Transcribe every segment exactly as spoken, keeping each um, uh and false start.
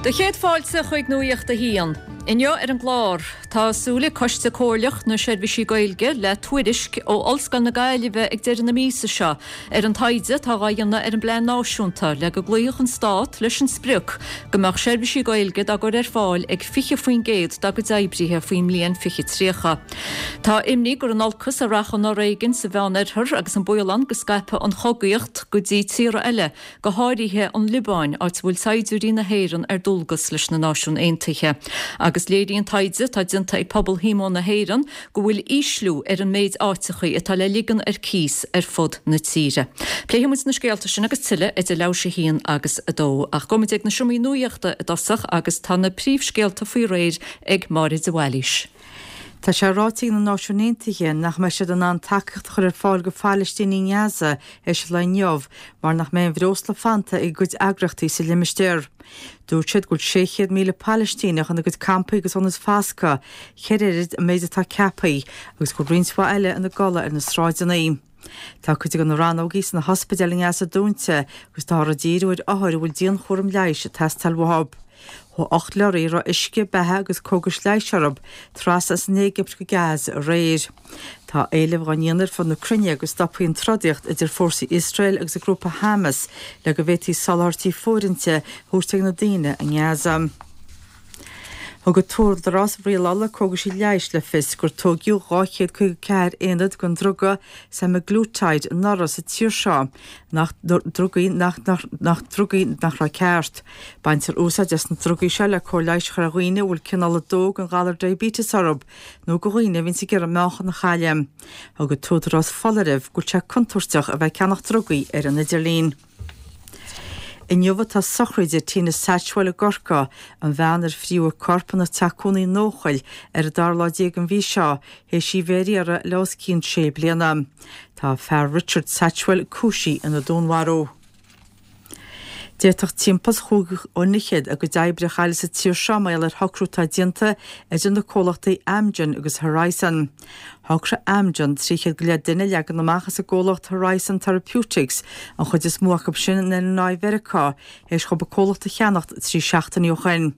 Do chéad fáilte chuig Nuacht a hAon. Inniu ar an gclár, tá súil ag Coiste Comhairleach na Seirbhísí Gaeilge le tuairisc ó Ollscoil na Gaillimhe ag deireadh na míosa seo ar an taighde atá á dhéanamh ar an bplean náisiúnta le go gcloífeadh an stát leis an sprioc go mbeadh seirbhísí Gaeilge dá gcur ar fáil ag fiche faoin gcéad dá gcuid oibrithe faoin mbliain fiche tríocha. Tá imní gur in olcas a rachaidh an foréigean sa Mheánoirthear agus an baol ann go scaipfidh an chogaíocht go dtí tíortha eile, go háirithe an Liobáin, áit a bhfuil saighdiúirí na hÉireann ar dualgas leis na Náisiúin Aontaithe. Agus léiríonn taighde atá déanta ag Pobal Shíomóin na hÉireann go bhfuil ísliú ar an méid áiteachaí atá le ligean ar cíos ar fud na tíre. Pléifidh muid na scéalta sin agus tuilleadh idir leathuair tar éis a haon agus a dó. Ach gabhfaidh muid ag na seomraí nuachta i dtosach agus tá na príomhscéalta faoi réir ag Máire de Bhailís. Tá sé ráite ag na Náisiúin Aontaithe nach mbeidh siad in ann tacaíocht a chur ar fáil go Phalaistínigh i nGaza théis an lae inniu mar nach mbeidh aon bhreosla fanta ag a gcuid eagraíochtaí sa limistéar. Dúirt siad go bhfuil sé chéad míle Palaistíneach ina gcuid campaí agus ionaid foscaidh, ceithre oiread an méid atá ceaptha, agus go bhfuil roinnt mhaith eile ina gcodladh ar na sráideanna. Tá cuid de na rannógaí sna hospidéil i nGaza dúnta agus táthar ag díriú ar othair a bhfuil dianchúram leighis ag teastáil uathu. Chuaigh ocht leoraí a raibh uisce, beatha agus cógais leighis orthu trasna as an Éigipt go Gaza aréir. Tá éilimh á ndéanamh ar fud na cruinne go stopfaí an trodaíocht idir fórsaí Iosrael agus an grúpa Hamas le go bhféadfaí soláthairtí fóirithinte a thabhairt ag na daoine i nGaza. Thug an tÚdarás Rialála Cógaisí Leighis le fios gur tóigeadh dhá chéad caoga ceathair aonad den druga semaglutide anuraidh sa tír seo, nach drugaí nach nach drugaí nach raibh ceart. Baintear úsáid as na drugaí seo le cóir leighis a chur ar dhaoine a bhfuil cineál a dó den ghalar diabetes orthu nó do dhaoine a bhíonns ag iarraidh meáchan a chailleadh. Thug an tÚdarás foláireamh go bhfuil sé contúirteach a bheith ag ceannach drugaí ar an idirlíon. Inniu atá sochraid Tina Satchwell i gCorcaigh, an bhean ar fríodh a corp ina teach cónaí in Eochaill ar an dara lá déag den mhí seo, théis í bheith ar iarraidh le os cionn sé bliana. Tá a fear Richard Satchwell cúisithe ina dúnmharú. D'fhéadfadh timpeall chúig dhuine fhichead a gcuid oibre a chailleadh sa tír seo mar gheall ar shocrú atá déanta idir na comhlachtaí Amgen agus Horizon. Shocraigh Amgen trí chéad go leith duine a leagan amach as an gcomhlacht Horizon Therapeutics, an chuid is mó acu sin in Illinois Mheiriceá, théis dhóibh an comhlacht a cheannacht trí seachtainí ó shin.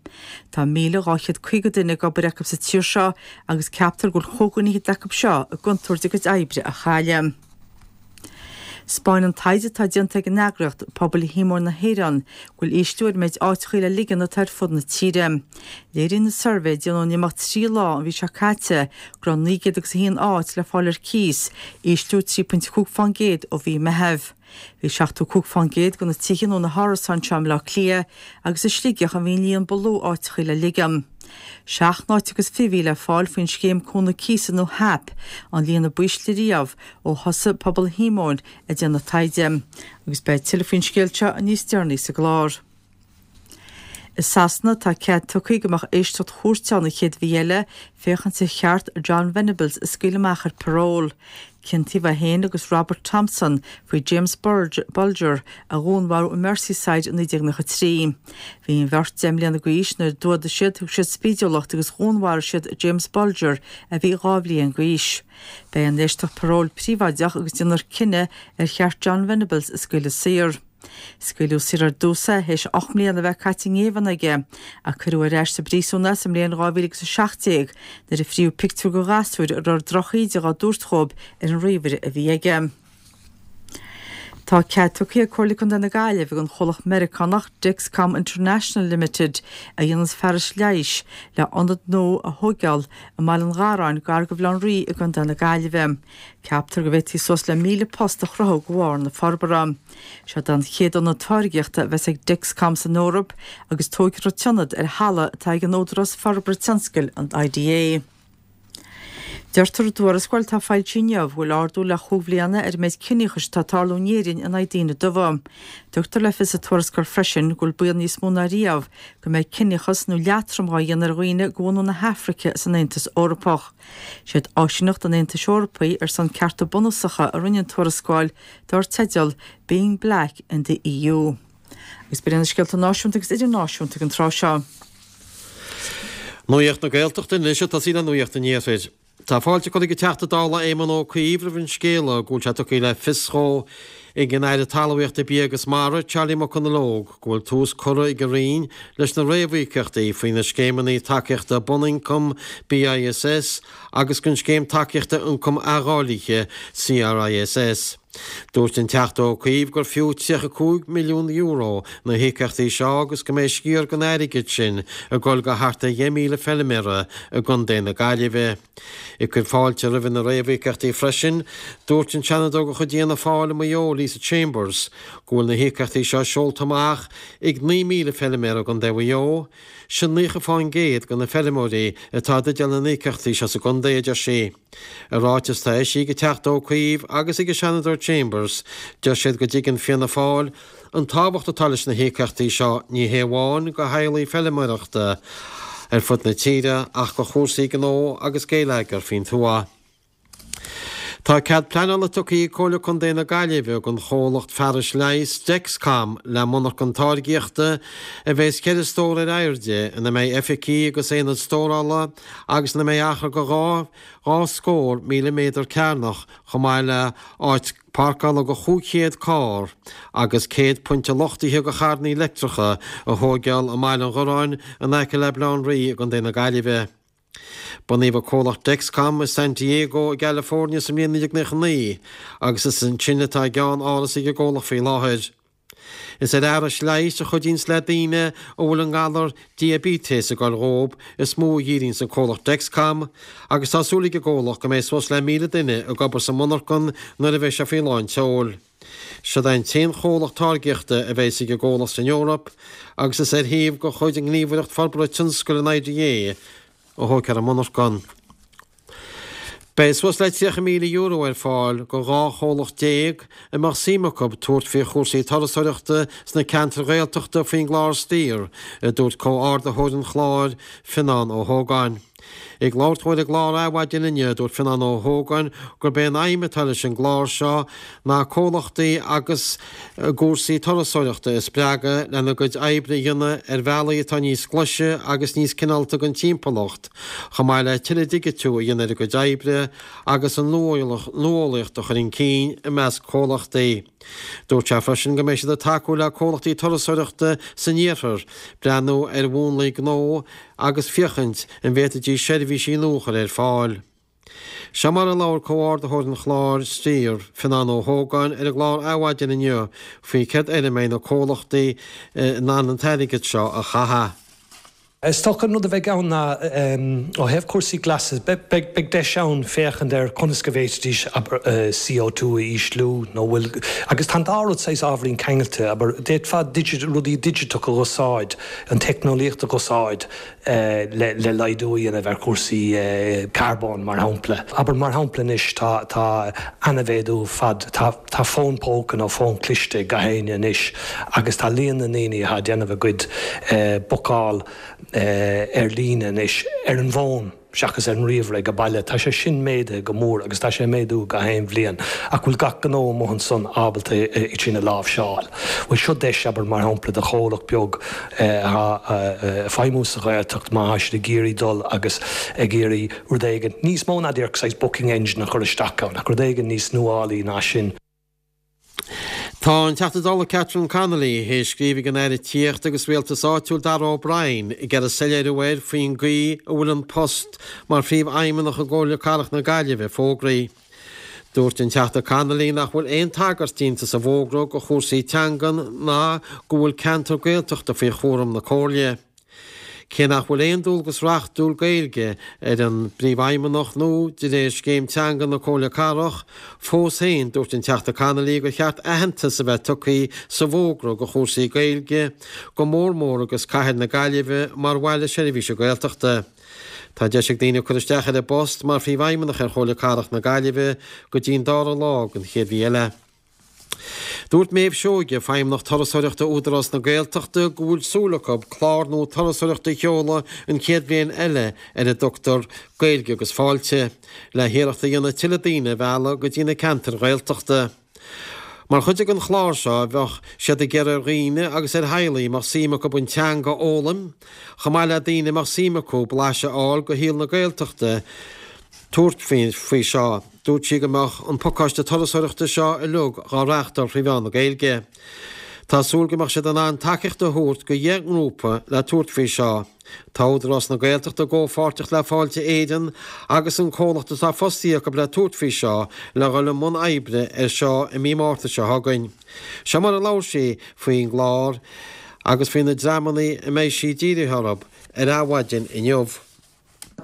Tá míle dhá chéad caoga duine ag obair acu sa tír seo agus ceaptar go bhfuil chúig dhuine fhichead acu seo i gcontúirt a gcuid oibre a chailleadh. 'Spáineann taighde atá déanta ag an eagraíocht, Pobal Shíomóin na hÉireann, go bhfuil ísliú ar an méid áiteachaí le ligean atá ar fud na tíre. Léiríonn an suirbhé a déanadh in imeacht trí lá an mhí seo caite go raibh naoi gcéad agus a haon áit le fáil ar cíos, ísliú trí pointe cúig fán gcéad ó mhí Meitheamh. Bhí seachtó cúig fán gcéad de na tithe nó na hárasáin seo i mBleá Cliath agus i Sligeach a bhí an líon ba lú áiteachaí le ligean. Seacht n-áit agus fiche a bhí le fáil faoin scéim Cúnamh Cíosa nó HAP, an líon a b'ísle riamh ó thosaigh Pobal Shíomóin ag déanamh taighde. Agus beidh tuilleadh faoin scéal seo níos deireanaí sa gclár. I Sasana tá cead tugtha go mbeadh éisteacht chúirte ann an chéad mhí eile féachaint ar cheart Jon Venables a scaoileadh amach ar parole. Ciontaíodh é féin agus Robert Thompson faoi James Bulger a dhúnmharú i Merseyside i naoi déag nócha trí. Bhí an bheirt deich mbliana d'aois nuair a d'fhuadaigh siad, thug siad spídiúlacht agus dhúnmharaigh siad James Bulger a bhí dhá bhliain d'aois. Beidh an éisteacht paróil príobháideach agus déanfar cinneadh ar cheart Jon Venables a scaoileadh saor. Scaoileadh saor ar dtús é théis ocht mbliana a bheith caite i ngéibheann aige, ach cuireadh ar ais sa bpríosún é sa mbliain dhá mhíle agus a seacht déag nuair a fríodh pictiúr de ghasúir a raibh drochíde dhá dtabhairt dhóibh ar an ríomhaire a bhí aige. Tá cead tugtha ag Comhairle Contae na Gaillimhe don chomhlacht Meiriceánach Dexcom International Limited, a dhéananns fearais leighis, le ionad nua a thóigeáil i mBaile an Gharráin gar do Bhaile Átha an Rí i gContae na Gaillimhe. Ceaptar go bhféadfaí suas le míle post a chruthú de bharr na forbartha. Seod é an chéad ionad táirgeachta a bheas ag Dexcom san Eoraip agus tógfar an t-ionad ar thalamh atá ag an Údarás Forbartha Tionscail, an I D A. Deirtear i dtuarascáil atá foilsithe inniu go bhfuil ardú le chúig bhliana ar an méid ciníochais atá ag tarlú in Éirinn in aghaidh daoine dubha. Tugtar le fios sa tuarascáil freisin go bhfuil baol níos mó ná riamh go mbeidh ciníochas nó leatrom á dhéanamh ar dhaoine de bhunadh na hAfraice san Aontas Eorpach. Siad Áisíneacht an Aontais Eorpaigh ar son Cearta Bunúsacha a rinne an tuarascáil dar teideal Being Black in the E U. Agus b'in iad na scéalta náisiúnta agus idirnáisiúnta ag an tráth seo. Nuacht na Gaeltachta anois ag tosaí le Nuacht an Iarthair. Tá fáilte curtha ag an Teachta Dála Éamon Ó Cuív roimh an scéala go bhfuil sé tugtha le fios dhó ag an Aire Talmhaíochta Bia agus Mara Charlie McConalogue go bhfuil tús curtha ag an Roinn leis na réamhíocaíochtaí faoi na scéimeanna tacaíochta bunioncaim BISS agus an scéim tacaíochta ioncam athdháilte CRISS. Dúirt an Teachta Ó Cuív gur fiú tríocha cúig milliún euro na híocaíochtaí seo agus go mbeidh sciar den airgead sin ag dul go thart ar dheich míle feilméara i gContae na Gaillimhe. Ag cur fáilte roimh na réamhíocaíochtaí freisin, dúirt an Seanadóir de chuid Fhianna Fáil i Maigh Eo Lisa Chambers go bhfuil na híocaíochtaí seo seolta amach ag naoi míle feilméara i gContae Mhaigh Eo, sin naocha faoin gcéad de na feilméaraí atá i dteideal na n-íocaíochtaí seo sa gcontae, a deir sí. I ráiteas atá eisithe ag an Teachta Ó Cuív agus ag an Seanadóir Chambers, deir siad go dtuigeann Fianna Fáil an tábhacht atá leis na híocaíochtaí seo ní hé amháin do theaghlaigh feilméarachta ar fud na tíre ach do chúrsaí gnó agus geilleagair faoin tuath. Tá cead pleanála tugtha ag Comhairle Contae na Gaillimhe don chomhlacht fearais leighis Dexcom le monarchan táirgíochta a bheas ceithre stór ar airde ina mbeidh oifigí agus aonad stórála agus ina mbeidh achar de dhá dhá scór míle méadar cearnach chomh maith le áit páirceála do chúig chéad carr agus céad pointe luchtaithe do charranna leictreacha a thógáil i mBaile an Ghorráin in aice le Baile Átha an Rí i gContae na Gaillimhe. Bunaíodh an comhlacht Dexcom i San Diego i gCalifornia sa mbliain naoi déag naocha naoi agus is ansin atá a gceann-áras ag an gcomhlacht faoi láthair. Is ar fhearais leighis a chuidíonns le daoine a bhfuil an galar diaibéiteas ag goil dhóib is mó a dhíríonns an comhlacht Dexcom agus tá súil ag an gcomhlacht go mbeidh suas le míle duine ag obair sa monarchan nuair a bheidh sé faoi lán tseoil. Seod é an t-aon chomhlacht táirgíochta a bheas ag an gcomhlacht san Eoraip agus is ar shuíomh de chuid an Ghníomhaireacht Forbartha Tionscail an IDA a thógfar an monarchan. Beidh suas le tríocha míle euro ar fáil do dhá chomhlacht déag a mbeadh suim acu tabhairt faoi chúrsaí turasóireachta sna ceantair Ghaeltachta faoin gclár Steer, a dúirt comhordaitheoir an chláir, Fionán Ó hÓgáin. Ag labhairt dó ar an gclár Adhmhaidin inniu, dúirt Fionán Ó hÓgáin gurb é an aidhm atá leis an gclár seo ná comhlachtaí agus i gcúrsaí turasóireachta a spreagadh lena gcuid oibre a dhéanamh ar bhealaí atá níos glaise agus níos cineálta don timpeallacht, chomh maith le tuilleadh digitiú a dhéanamh ar a gcuid oibre agus an nuálaíocht a chur chun cinn i measc comhlachtaí. Dúirt sé freisin go mbeidh siad ag tacú le comhlachtaí turasóireachta san iarthar breathnú ar mhúnlaí gnó agus féachaint an bhféadfaidís seirbhísí nua a chur ar fáil. Seo mar a labhair comhordaitheoir an chláir Steer, Fionán Ó hÓgáin, ar an gclár Adhmhaidin inniu faoi céard air a mbeidh na comhlachtaí in ann an t-airgead seo a chaitheamh. Is dócha an rud a bheidh ann ná ó thaobh cúrsaí glasa, beidh deis ann féachaint ar conas go bhféadfaidís, abair, C O two a ísliú nó bhfuil, agus tá an dá rud saghas ábhairín ceangailte, abair, d'fhéadfá rudaí digiteacha a úsáid, an teicneolaíocht a úsáid le le laghdú a dhéanamh ar chúrsaí carbóin mar shampla. Abair mar shampla anois tá tá an-mhéadú fad, tá tá fón póca nó fón cliste ag gach éinne anois agus tá líon na ndaoine atá ag déanamh a gcuid bookáil ar líne anois ar an bhfón seachas ar an ríomhaire ag baile. Tá sé sin méadaithe go mór agus tá sé ag méadú gach aon bhliain. Ach bhfuil gach gnó amuigh ansan ábalta é sin a láimhseáil? Bhuel seo deis, abair, mar shampla, do chomhlacht beag atá ag feidhmiú sa Ghaeltacht má tá siad ag iarraidh dul agus ag iarraidh rud éigin níos mó ná díreach saghas booking engine a chur isteach ann ach rud éigin níos nuálaí ná sin. Tá an Teachta Dála Catherine Connolly théis scríobh ag an Aire Tithíochta agus Rialtais Áitiúil Darragh O'Brien ag iarraidh soiléiriú air faoin gcaoi a bhfuil an post mar Phríomhfheidhmeannach i gComhairle Cathrach na Gaillimhe fógraithe. Dúirt an Teachta Connolly nach bhfuil aon tagairt déanta sa bhfógra do chúrsaí teangan ná go bhfuil ceantar Gaeltachta faoi chúram na Comhairle. Cé nach bhfuil aon dualgas reachtúil Gaeilge ar an bPríomhfheidhmeannach nó de réir Scéim Teanga na Comhairle Cathrach, fós féin dúirt an Teachta Connolly gur cheart aitheantas a bheith tugtha sa bhfógra do chúrsaí Gaeilge, go mór mór agus cathair na Gaillimhe mar bhaile seirbhíse Gaeltachta. Tá deis ag daoine cur isteach ar an bpost mar Phríomhfheidhmeannach ar Chomhairle Cathrach na Gaillimhe go dtí an dara lá den chéad mhí eile. Dúirt Méabh Seoige, Feidhmeannach Turasóireachta Údarás na Gaeltachta, go bhfuil súil acu clár nua turasóireachta a sheoladh an chéad bhliain eile ar a dtugtar Gaeilge agus Fáilte, le hiarracht a dhéanamh tuilleadh daoine a mhealladh go dtí na ceantair Ghaeltachta. Mar chuid den chlár seo bheadh siad ag iarraidh ar dhaoine agus ar theaghlaigh a mbeadh suim acu an teanga a fhoghlaim, chomh maith le daoine a mbeadh suim acu blaiseadh a fháil de shaol na Gaeltachta, tabhairt faoi seo. Dúirt sí go mbeadh an pacáiste turasóireachta seo uilig á reáchtáil trí mheán na Gaeilge. Tá súil go mbeadh siad in ann tacaíocht a thabhairt go dheich ngrúpa le tabhairt faoi seo. Tá Údarás na Gaeltachta i gcomhpháirtíocht le Fáilte Éireann agus an comhlacht atá fostaithe acu le tabhairt faoi seo le dhul i mbun oibre ar seo i mí Márta seo chugainn. Seo mar a labhair sí faoin gclár agus faoi na dreamanna a mbeidh sí dírithe orthu ar Adhmhaidin inniu.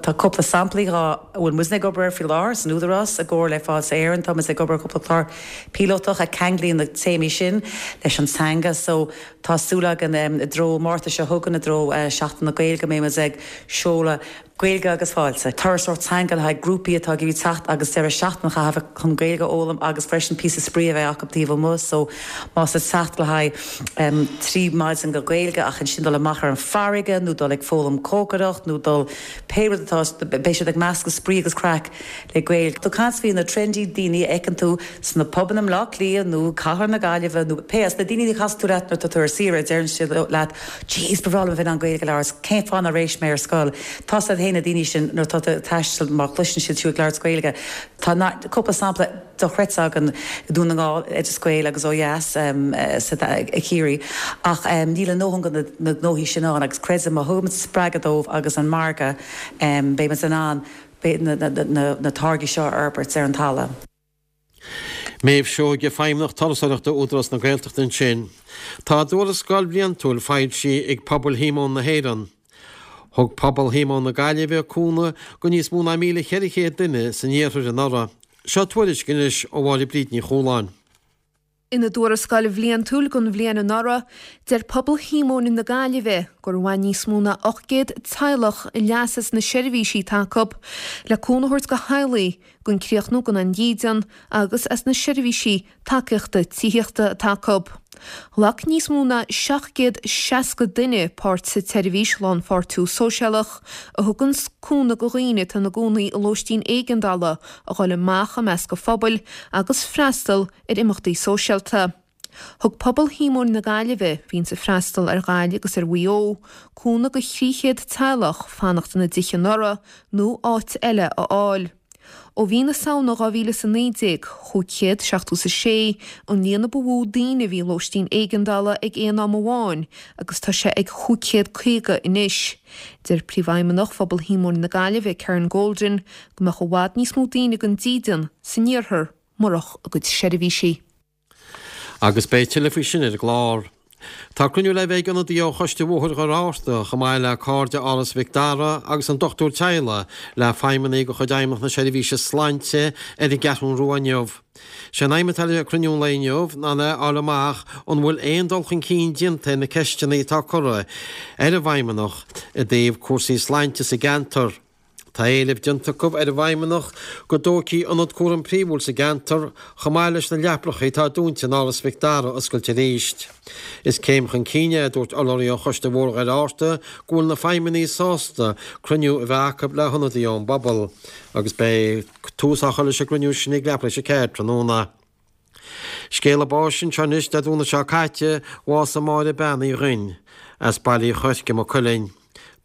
Tá cúpla samplaí a bhfuil muidne ag obair ar faoi láthair san Údarás i gcomhar le Fáilte Éireann. Tá muid ag obair cúpla clár píolótach a cheanglaíonn na téamaí sin leis an teanga. So tá súil againn i dtreo Márta seo chugainn i dtreo Seachtain na Gaeilge go mbeidh muid ag seoladh Gaeilge agus Fáilte. Turasóireacht teanga le haghaidh grúpaí atá ag iarraidh teacht agus deireadh seachtaine a chaitheamh chun Gaeilge a fhoghlaim agus freisin píosa spraoi a bheith acu taobh amuigh. So más ag teacht le haghaidh trí maidin go Gaeilge ach ansin dul amach ar an farraige nó dul ag foghlaim cócaireacht nó dul pé rud atá beidh siad ag meascadh spraoi agus craic le Gaeilge. Tá caint faoi na trendy daoine a fheiceann tú sna pubanna i mBleá Cliath nó cathair na Gaillimhe nó pé as na daoine a chas tú leat nuair atá tú ar saoire deireann siad leat Jeez ba bhreá liom a bheith in ann Gaeilge a labhairt cén fáth nár éist mé ar scoil. Tá siad féin na daoine sin nuair atá tú ag taisteal má chloiseann siad tú ag labhairt Gaeilge. Tá cúpla sampla dochreidte againn i Dún na nGall, Oideas Gael agus ó dheas sa Chiarraí ach níl a ndóthain de na gnóthaí sin ann agus creidim má thugaimid spreagadh dóibh agus an margadh beidh muid in ann na táirgí seo a fhorbairt ar an talamh. Méabh Seoige, Feidhmeannach Turasóireachta Údarás na Gaeltachta ansin. Tá a dtuarascáil bhliantúil foilsithe ag Pobal Shíomóin na hÉireann. Thug Pobal Shíomóin na Gaillimhe cúnamh go níos mó ná míle cheithre chéad duine san iarthar anuraidh. Seo tuairisc anois ó Mháire Bríd Ní Chualáin. Ina dtuarascáil bhliantúil don bhliain anuraidh, deir Pobal Shíomóin na Gaillimhe gur bhain níos mó ná ocht gcéad teaghlach leas as na seirbhísí atá acu le cúnamh a thabhairt do theaghlaigh gan críochnú gan an dídean agus as na seirbhísí tacaíochta tithíochta atá acu. Ghlac níos mó ná seacht gcéad seasca duine páirt sa tseirbhís Lánpháirtiú Sóisialach, a thugann cúnamh do dhaoine atá ina gcónaí i lóistín éigeandála a dhul amach i measc an phobail agus freastal ar imeachtaí sóisialta. Thug Pobal Shíomóin na Gaillimhe, a bhíonns ag freastal ar Ghaillimh agus ar Mhaigh Eo, cúnamh do thrí chéad teaghlach fanacht ina dtithe anuraidh nó áit eile a fháil. Ó mhí na Samhna dhá mhíle is a naoi déag, chúig chéad seachtó is a sé, an líon a ba mhó daoine a bhí i lóistín éigeandála ag aon am amháin agus tá sé ag chúig chéad caoga anois. Deir Príomhfheidhmeannach Phobal Shíomóin na Gaillimhe, Karen Golden, go mbeadh i bhfad níos mó daoine gan dídean san iarthar murach a gcuid seirbhísí. Agus beidh tuilleadh faoi sin ar an gclár. Tá cruinniú le bheith ag ionadaí ó Choiste Bhóthar Dhoire Fhatharta, chomh maith le Cairde Áras Mhic Dara agus an Dochtúir Teaghlaigh, le feidhmeannaigh de chuid Fheidhmeannacht na Seirbhíse Sláinte ar an gCeathrú Rua inniu. Sé an aidhm atá le cruinniú an lae inniu ná le fháil amach an bhfuil aon dul chun cinn déanta ar na ceisteanna atá curtha ar an bhFeidhmeannacht i dtaobh cúrsaí sláinte sa gceantar. Tá éileamh déanta acu ar an bhFeidhmeannach go dtógfaí ionad cúraim príomhúil sa gceantar chomh maith leis na leapacha atá dúnta in Áras Mhic Dara a oscailt arís. Is céim chun cinn é, a dúirt urlabhraí ó Choiste Bhóthar Dhoire Fhatharta, go bhfuil na feidhmeannaigh sásta cruinniú a bheith acu le hionadaí ón bpobal agus beidh tús á chur leis an gcruinniú sin ag leathuair tar éis a ceathair tráthnóna. Scéala báis anseo anois, Dé Domhnaigh seo caite, bhásaigh Máire Bean Uí Dhuinn, as Baile Uí Choirce, Maigh Cuilinn,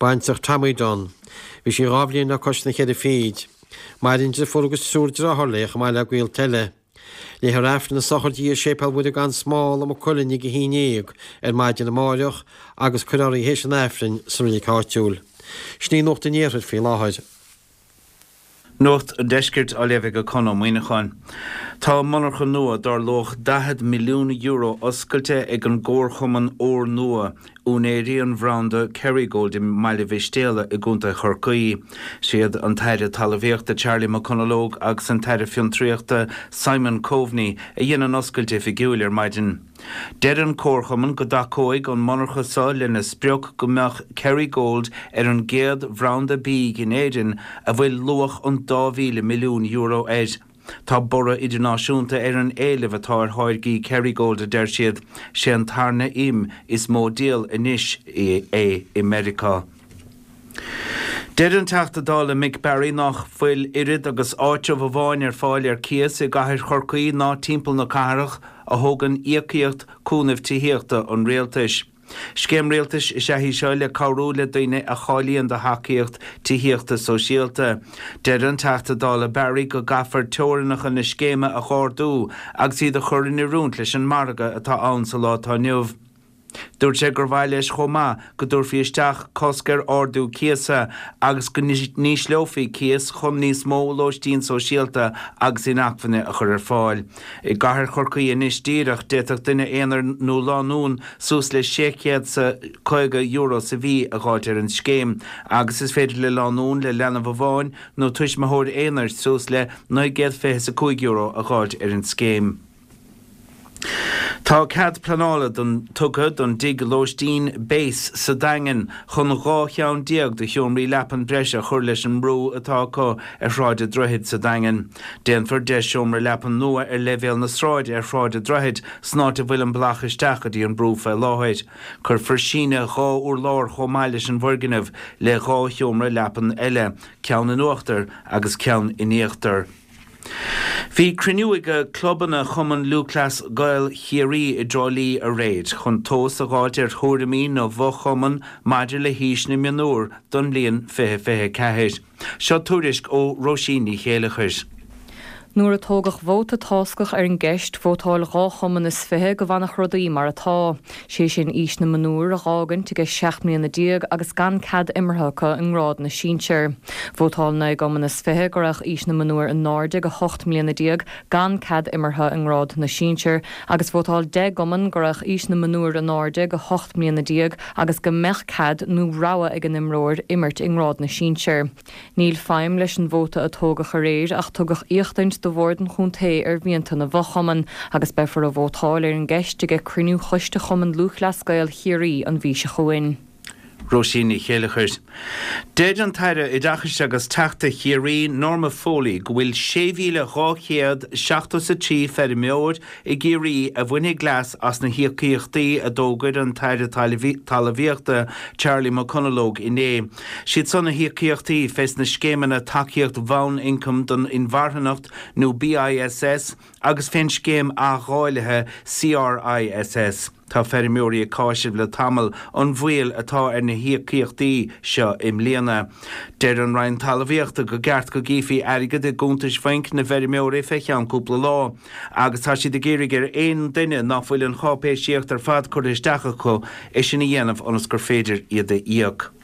baintreach Tommy Dunne. Bhí sí dhá bhliain le cois na ceithre fichid. Maireann deirfiúr agus triúr deartháir léi chomh maith le gaolta eile. Léifear Aifreann na sochraide í i Séipéal Mhuire gan Smál i Maigh Cuilinn ag a haon déag ar maidin amáireach agus cuirfear í théis an Aifrinn sa reilig áitiúil. Sin í Nuacht an Iarthair faoi láthair. Nuacht an Deiscirt á léamh ag Conn Ó Muíneacháin. Tá monarcha nua dar luach daichead milliún euro oscailte ag an gcomharchumann Úr Nua, úinéirí an bhranda Kerrygold i mBaile Mhistéala i gContae Chorcaí. Siad an tAire Talmhaíochta Charlie McConalogue agus an tAire Fiontraíochta Simon Coveney a dhein an oscailt oifigiúil ar maidin. Deir an Comharchumann go dtacóidh an monarcha seo lena sprioc go mbeadh Kerrygold ar an gcéad bhranda bídh in Éirinn a bhfuil luach an dá mhíle milliún euro air. Tá borradh idirnáisiúnta ar an éileamh atá ar tháirgí Kerrygold, a deir siad. Sé an tarna im is mó díol anois é i Meiriceá. Deir an Teachta Dála Mick Barry nach bhfuil oiread agus áitreabh amháin ar fáil ar cíos i gcathair Chorcaí ná timpeall na cathrach a thógann íocaíocht cúnaimh tithíochta an rialtais. Scéim rialtais is ea í seo le cabhrú le daoine a cháilíonn do thacaíocht tithíochta sóisialta. Deir an Teachta Dála Barry go gcaithfear teorainneacha na scéime a dh'ardú agus iad a chur in oiriúint leis an margadh atá ann sa lá atá inniu. Dúirt sé gur mhaith leis chomh maith go dtabharfaí isteach cosc ar ardú cíosa agus go n-ísleofaí cíos chun níos mó lóistín sóisialta agus inacmhainne a chur ar fáil. I gcathair Chorcaí anois díreach, d'fhéadfadh duine aonair nó lánúin suas le sé chéad 's a caoga euro sa mhí a dh'fháilt ar an scéim agus is féidir le lánúin le leanbh amháin nó tuismitheoir aonair suas le naoi gcéad fiche 's a cúig euro a dh'fháilt ar an scéim. Tá cead pleanála don tugtha don dtigh lóistín Base sa Daingean chun dhá cheann déag de sheomraí leapan breise a chur leis an mbrú atá acu ar Shráid an Droichid sa Daingean. Déanfar deich seomra leapan nua ar leibhéal na sráide ar Shráid an Droichid san áit a bhfuil an bealach isteach go dtí an brú faoi láthair. Cuirfear síneadh dhá urlár chomh maith leis an bhfoirgneamh le dhá sheomra leapan eile, ceann in uachtar agus ceann in íochtar. Bhí cruinniú ag clubanna Chumann Lúthchleas Gael Chiarraí i dTrá Lí aréir chun tomhas a dh'fháilt ar thuairimí na bhfo-chumann maidir le haois na mionúr don mbliain fiche fiche a ceathair. Seo tuairisc ó Róisín Ní Chéileachair. Nuair a tógadh vóta táscach ar an gceist, vótáil dhá chumann is fiche go bhfanfadh rudaí mar atá, sé sin aois na mionúr a dh'fhágaint ag seacht mbliana déag agus gan cead imeartha acu i ngrád na sinsear. Vótáil naoi gcumann is fiche go raghadh aois na mionúr in airde go hocht mbliana déag gan cead imeartha i ngrád na sinsear agus vótáil deich gcumann go raghadh aois na mionúr in airde go hocht mbliana déag agus go mbeadh cead nó rogha ag an imreoir imirt i ngrád na sinsear. Níl feidhm leis an vóta a tógadh aréir ach tugadh éachtaint do Bhord an Chontae ar mhianta na bhfochumann agus beifear ag vótáil ar an gceist ag cruinniú Choiste Chumann Lúthchleas Gael Chiarraí an mhí seo chugainn. Róisín Ní Chéileachair. Deir an tAire Oideachais agus Teachta Chiarraí, Norma Foley, go bhfuil sé mhíle dhá chéad seachtó is a trí feirmeoir i gCiarraí a bhainfidh leas as na híocaíochtaí a d'fhógair an tAire Talmhaíochta Charlie McConalogue inné. Siad san na híocaíochtaí fés na scéimeanna Tacaíocht Bhonn-Ioncaim don Inmharthanacht nó BISS agus fén scéim athdháilithe CRISS. Tá feirmeoirí ag cáiseamh le tamall an mhoill atá ar na híocaíochtaí seo i mbliana. Deir an Roinn Talmhaíochta go gceart go gcífí airgead i gcuntais bhainc na bhfeirmeoirí fé cheann cúpla lá agus tá siad ag iarraidh ar aon duine ná fuil an cháipéisíocht ar fad curtha isteach acu é sin a dhéanamh ionas gur féidir iad a íoc.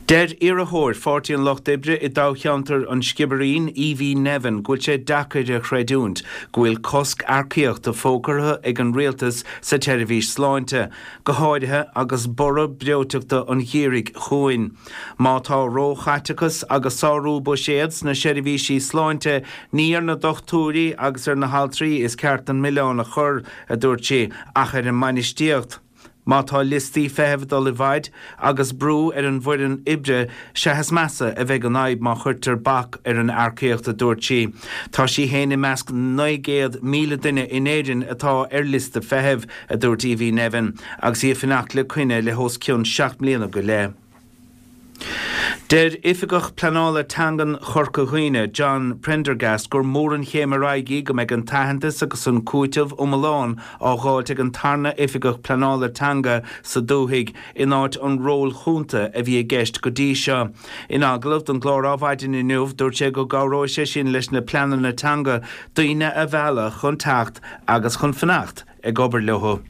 Deir iarrthóir Pháirtí an Lucht Oibre i dtoghcheantar an Sciobairín, Evie Nevin, go bhfuil sé deacair a chreidiúint go bhfuil cosc earcaíochta fógartha ag an rialtas sa tseirbhís sláinte, go háirithe agus borradh breoiteachta an gheimhridh chugainn. Má tá róchaiteachas agus sárú buiséad sna seirbhísí sláinte, ní ar na dochtúirí agus ar na haltraí is ceart an milleán a chur, a dúirt sí, ach ar an mbainistíocht. Má tá liostaí feithimh ag dul i bhfaid agus brú ar an bhfoireann oibre, sea is measa a bheidh an fhadhb má chuirtear bac ar an earcaíocht, a dúirt sí. Tá sí féin i measc naoi gcéad míle duine in Éirinn atá ar liosta feithimh, a dúirt Evie Nevin, agus í ag fanacht le coinne le hos cionn seacht mbliana go leith. Deir Oifigeach Pleanála Teangan Chorca Dhuibhne, John Prendergast, gur mór an chéim ar aghaidh í go mbeidh an t-aitheantas agus an cúiteamh iomlán á dh'fháilt ag an tarna Oifigeach Pleanála Teanga sa dúthaigh in áit an róil chúnta a bhí i gceist go dtí seo. In agallamh don gclár Adhmhaidin inniu, dúirt sé go gcabhróidh sé sin leis na pleananna teanga daoine a mhealladh chun teacht agus chun fanacht ag obair leo.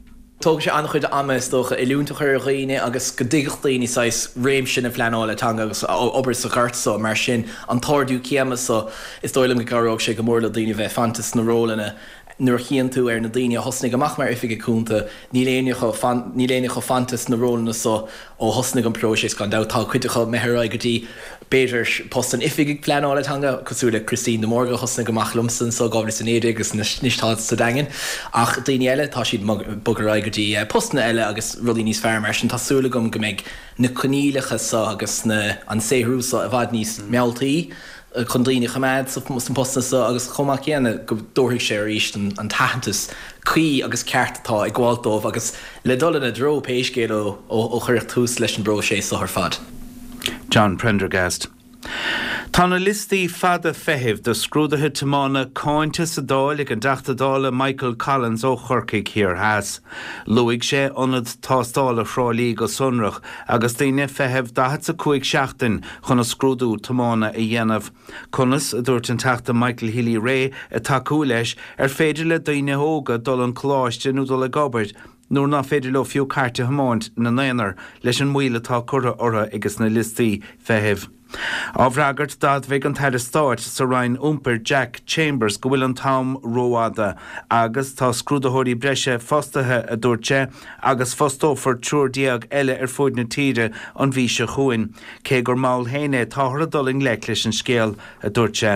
Tógfaidh sé an-chuid ama, is dócha, oiliúint a chur ar dhaoine agus go dtuigfeadh daoine saghas réimse na pleanála teanga agus obair sa ghort so. Mar sin, an t-ardú céime so, is dóigh liom go gcabhróidh sé go mór le daoine bheith fanta sna rólanna. Nuair a chíonn tú ar na daoine a thosnaigh amach mar oifigigh cúnta, níl éinne acu, níl éinne acu fanta sna rólanna so ó thosnaigh an próiseas, gan dabht. Tá cuid acu imithe ar aghaidh go dtí, b'fhéidir, post an oifigigh pleanála teanga, cosúil le Christine de Mórdha a thosnaigh amach liomsa anso dhá mhíle is a naoi déag agus anois tá sa Daingean. Ach daoine eile, tá siad ag bogadh ar aghaidh go dtí postanna eile agus rudaí níos fearr. Mar sin, tá súil agam go mbeidh na coinníollacha so agus na, an saothrú so i bhfad níos mealltaí chun daoine a choimeád sna postanna so agus chomh maith céanna go dtabharfaidh sé arís an t-aitheantas cuí agus ceart atá ag gabháilt dóibh agus le dul ina dtreo pé scéal é ó cuireadh tús leis an bpróiseas so ar fad. John Prendergast. Tá na liostaí fada feithimh do scrúduithe tiomána cáinte sa Dáil ag an dTeachta Dála Michael Collins ó Chorcaigh Thiar Theas. Luaigh sé ionad tástála Thrá Lí go sonrach agus daoine ag feitheamh daichead 's a cúig seachtain chun a scrúdú tiomána a dhéanamh. Conas, a dúirt an Teachta Michael Healy-Rae ag tacú leis, ar féidir le daoine óga dul an coláiste nó dul ag obair nuair nach féidir leo fiú cairt a thiomáint ina n-aonar leis an moill atá curtha orthu ages na liostaí feithimh. Á bhfreagairt d'admhaigh an tAire Stáit sa Roinn Iompair Jack Chambers go bhfuil an t-am rófhada agus tá scrúdaitheoirí breise fostaithe, a dúirt sé, agus fostófar triúr déag eile ar fuaid na tíre an mhí seo chugainn. Cé gur mall féin é, táthar ag dul i ngleic leis an scéal, a dúirt sé.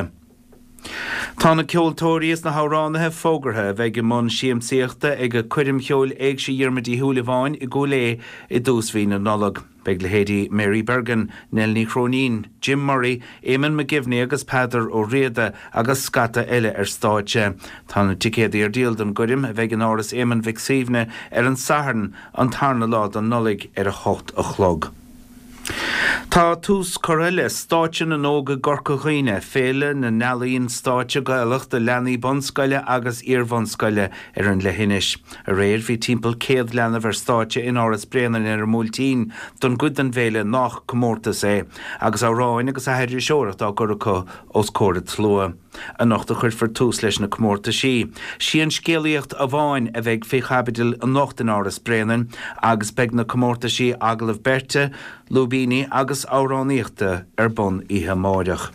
Tá na ceoltóirí is na hamhránaithe fógartha a bheidh i mbun siamsaíochta ag Coirm Cheoil Éigse Dhiarmuid Uí Shúilleabháin i gCúil Aodha i dtús mhí na Nollag. Beidh leithéidí Mary Bergin, Nell Ní Chróinín, Jim Murray, Eamonn McGivney agus Peadar Ó Riada agus scata eile ar stáitse. Tá na ticéadaí ar díol don gcoirm a bheidh in Áras Éamoinn Mhic Suibhne ar an Satharn, an tarna lá den Nollaig ar a hocht a chlog. Tá tús curtha le Stáitse na nÓg i gCorca Dhuibhne, féile na n-ealaíon stáitse Gaelach do leanaí bunscoile agus iar-bhunscoile ar an leithinis. Aréir bhí timpeall céad leanbh ar stáitse in Áras Bréanainn ar an mBuailtín don gcuid den bhféile nach comórtas é, agus amhráin agus aithriseoireacht á gcur acu os comhair an tslua. Anocht a chuirfear tús leis na comórtaisí. Sí an scéalaíocht amháin a bheidh faoi chaibidil anocht in Áras Bréanainn agus beidh na comórtaisí agallamh beirte, lúibíní agus amhránaíochta ar bun oíche amáireach.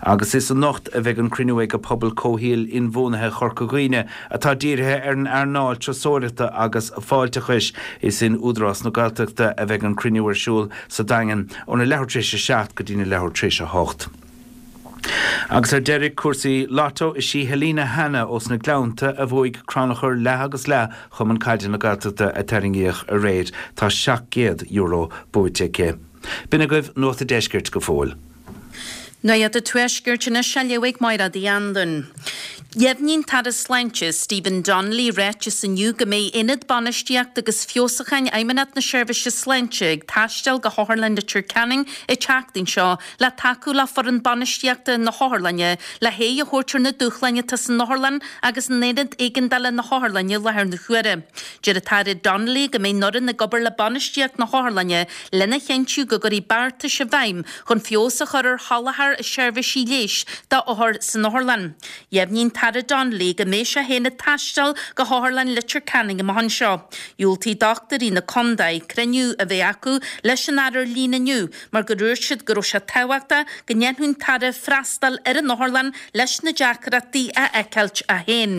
Agus is anocht a bheidh an cruinniú ag Pobal Comhshaoil Inbhuanaithe Chorca Dhuibhne atá dírithe ar an earnáil turasóireachta agus fáilteachais. Is in Údarás na Gaeltachta a bheidh an cruinniú ar siúl sa Daingean óna leathuair tar éis a seacht go dtína leathuair tar éis a hocht. Agus ar deireadh, cúrsaí Lotto, is í Helena Hanna ós na Gleannta a bhuaigh crannchur leath agus leath Chumann Caide na Gaeltachta a tarraingíodh aréir. Tá seacht gcéad euro buaite aici. B'in agaibh Nuacht an Deiscirt go fóill. Nuacht an Tuaiscirt anois á léamh ag Máire Uí Anluain. Dheimhnigh an tAire Sláinte, Stephen Donnelly, i ráiteas inniu go mbeidh Aonad Bainistíochta agus Feabhsúcháin Fheidhmeannacht na Seirbhíse Sláinte ag taisteal go hOtharlann Leitir Ceanainn an tseachtain seo le tacú le foireann bainistíochta na hotharlainne le haghaidh a thabhairt ar na dúshláin atá san otharlann agus in Aonad Éigeandála na hotharlainne i láthair na huaire. Deir an tAire Donnelly go mbeidh an fhoireann ag obair le bainistíocht na hotharlainne lena chinntiú go gcuirfí beartais i bhfeidhm chun feabhas a chur ar sholáthar seirbhísí leighis d'othair san otharlann. Dheimhnigh an tAire Donnelly go mbeidh sé féin ag taisteal go hOtharlann Leitir Ceanainn amach anseo. Dhiúltaigh dochtúirí na contae cruinniú a bheith acu leis an Aire ar líne inniu mar gur dhúirt siad go raibh sé tábhachtach go ndéanfadh an tAire freastal ar an otharlann leis na deacrachtaí a fheiceáilt é féin.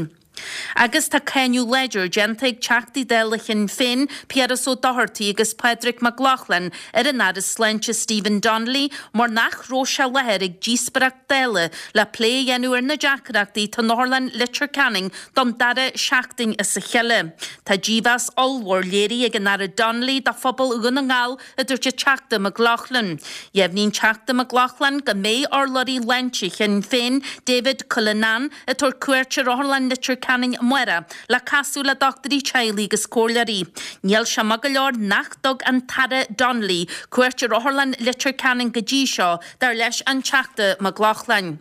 Agus tá cáineadh láidir déanta ag Teachtaí Dála Shinn Féin, Piaras Ó Dochartaigh agus Pádraig Mac Lochlainn ar an Aire Sláinte Stephen Donnelly mar nach raibh sé i láthair ag díospóireacht Dála le plé a dhéanamh ar na deacrachtaí atá in Otharlann Leitir Ceanainn don dara seachtain as a chéile. Tá dímheas ollmhór léirithe ag an Aire Donnelly do phobal Dhún na nGall a dúirt an Teachta Mac Lochlainn. Dheimhnigh an Teachta Mac Lochlainn go mbeidh urlabhraí sláinte Shinn Féin, David Cullinane, ag tabhairt cuairt ar Otharlann Leitir Ceanainn amárach le casadh le dochtúirí teaghlaigh agus comhairleoirí. Níl sé maith go leor nach dtug an tAire Donnelly cuairt ar Otharlann Leitir Ceanainn go dtí seo, dar leis an Teachta Mac Lochlainn.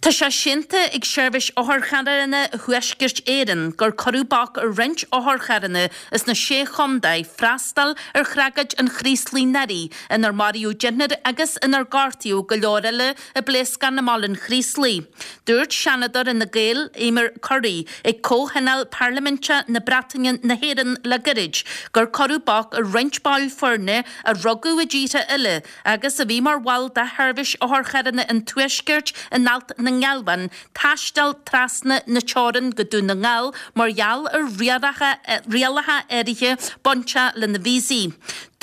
Tá sé séanta ag Seirbhís Otharcharranna Thuaisceart Éireann gur cuireadh bac ar roinnt otharcharranna as na Sé Chontae freastal ar thragóid an Chraoslaigh anuraidh inar maraíodh deichniúr agus inar gortaíodh go leor eile i bpléascán i mBaile an Chraoslaigh. Dúirt Seanadóir Fhine Gael, Eimear Currie, ag Comhthionól Parlaiminte na Breataine-na hÉireann le gairid gur cuireadh bac ar roinnt baill foirne a rugadh i dtíortha eile agus a bhí mar bhaill de Sheirbhís Otharcharranna an Tuaiscirt in Ailt na nGealbhan, taisteal trasna na teorann go Dún na nGall mar gheall ar rialacha áirithe bainteach lena víosaí.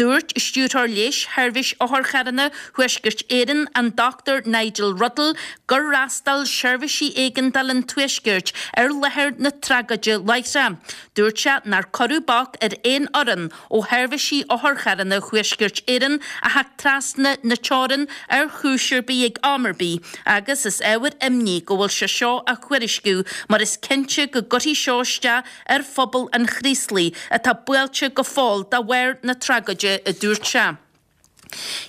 Dúirt Stiúrthóir Leighis Sheirbhís Otharcharranna Thuaisceart Éireann, an Dochtúir Nigel Ruddle, gur fhreastail seirbhísí éigeandála an Tuaiscirt ar láthair na tragóide láithreach. Dúirt sé nár cuireadh bac ar aon fhoireann ó Sheirbhísí Otharcharranna Thuaisceart Éireann a theacht trasna na teorann ar chúis ar bith ag am ar bith agus is ábhar imní go bhfuil sé seo á thuairisciú mar is cinnte go gcuirfidh seo isteach ar phobal an Chraoslaigh atá buailte go fóill de bharr na tragóide, a dúirt sé.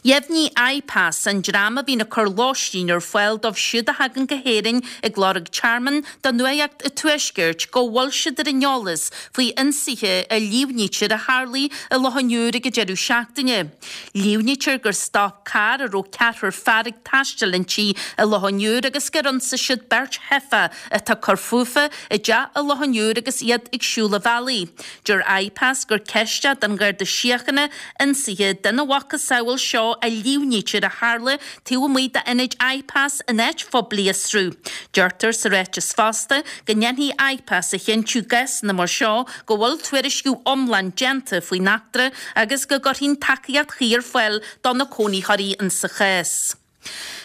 Dheimhnigh IPAS, an dream a bhíonn ag cur lóistín ar fáil dóibh siúd a thagann go hÉirinn ag lorg tearmainn, do Nuacht an Tuaiscirt go bhfuil siad ar an eolas faoi ionsaithe a líomhnaítear a tharlaigh i Loch an Iúir ag an deireadh seachtaine. Líomhnaítear gur stop carr a raibh ceathrar fear ag taisteal inti i Loch an Iúir agus gur ionsaigh siad beirt theifeach atá ag cur fúthu i dteach i Loch an Iúir agus iad ag siúl an bhealaigh. Deir IPAS gur ceist é don Gharda Síochána ionsaithe den mhacasamhail seo a líomhnaítear a tharla taobh amuigh d'ionad IPAS in áit phoiblí a fhiosrú. Deirtear sa ráiteas fosta go ndéanfaidh IPAS a chinntiú i gcásanna mar seo go bhfuil tuairisciú iomlán déanta faoin eachtra agus go gcuirfidh tacaíocht chuí ar fáil do na cónaitheoirí insa chás.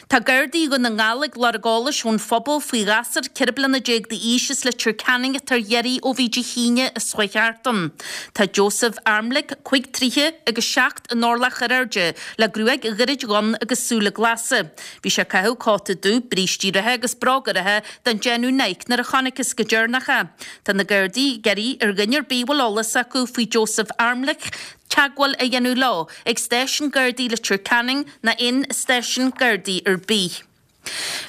Tá Gardaí Dhún na nGall ag lorg eolais ón phobal faoi ghasúr ceithre bliana déag d'aois as Leitir Ceanainn atá ar iarraidh ó bhí Dé hAoine seo chuaigh thart ann. Tá Joseph Armlick, cúig troithe agus seacht in orlach ar airde, le gruaig ghairid dhonn agus súile glasa. Bhí sé ag caitheamh cóta dubh, brístí reatha agus bróga reatha den déanamh Nike nuair a chonacthas go deireanach é. Tá na Gardaí ag iarraidh ar dhuine ar bith a bhfuil eolas acu faoi Joseph Armlick, teagmháil a dhéanamh leo ag Stáisiún Gardaí Leitir Ceanainn ná aon stáisiún Gardaí ar bith.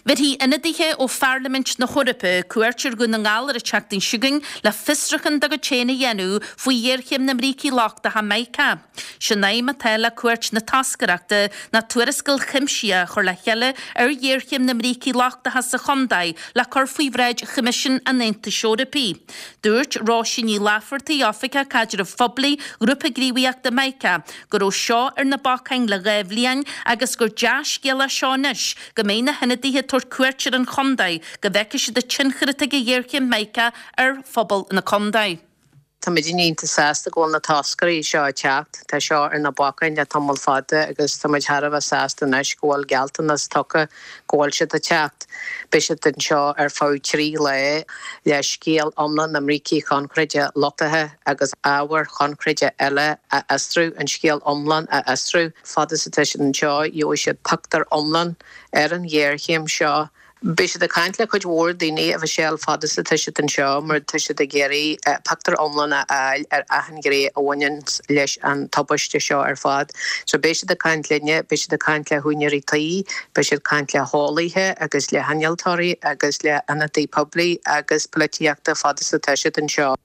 Bhéarfaidh ionadaithe ó Pharlaimint na hEorpa cuairt ar Dhún na nGall ar an tseachtain seo chugainn le fiosrúchán dá gcuid féin a dhéanamh faoi ghéarchéim na mbrící lochtacha Mica. Sé'n aidhm atá le cuairt na toscaireachta ná tuarascáil chuimsitheach a chur le chéile ar ghéarchéim na mbrící lochtacha sa chontae le cur faoi bhráid Choimisiún an Aontais Eorpaigh. Dúirt Róisín Ní Laifeartaigh, Oifigeach Caidrimh Phoiblí Ghrúpa Gníomhaíochta Mica, go raibh seo ar na bacáin le dhá bhliain agus gur dea-scéal é seo anois go mbeidh na hionadaithe ag tabhairt cuairt ar an chontae go bhfeicfidh siad an tionchar atá ag an ghéarchéim Mica ar phobal na contae. Táimid iontach sásta go bhfuil na toscairí seo ag teacht. Tá seo ar na bacáin le tamall fada agus táimid thar a bheith sásta anois go bhfuil gealltanas tugtha go bhfuil siad ag teacht. Beidh siad anseo ar feadh trí lá le scéal iomlán na mbrící coincréite luchtaithe agus ábhair choincréite eile a fhiosrú, an scéal iomlán a fhiosrú. Fad is atá siad anseo, gheobhaidh siad pictiúr iomlán ar an ghéarchéim seo. Beidh siad ag caint le cuid mhór daoine a Mhichelle fad is atá siad anseo mar tá siad ag iarraidh pictiúr iomlán a fháil ar achan ghné a bhaineann leis an tubaiste seo ar fad. So beidh siad ag caint linne, beidh siad ag caint le húinéirí tí, beidh siad ag caint le heolaithe agus le hinnealtóirí agus le hionadaithe poiblí agus polaitíochta fad is atá siad anseo.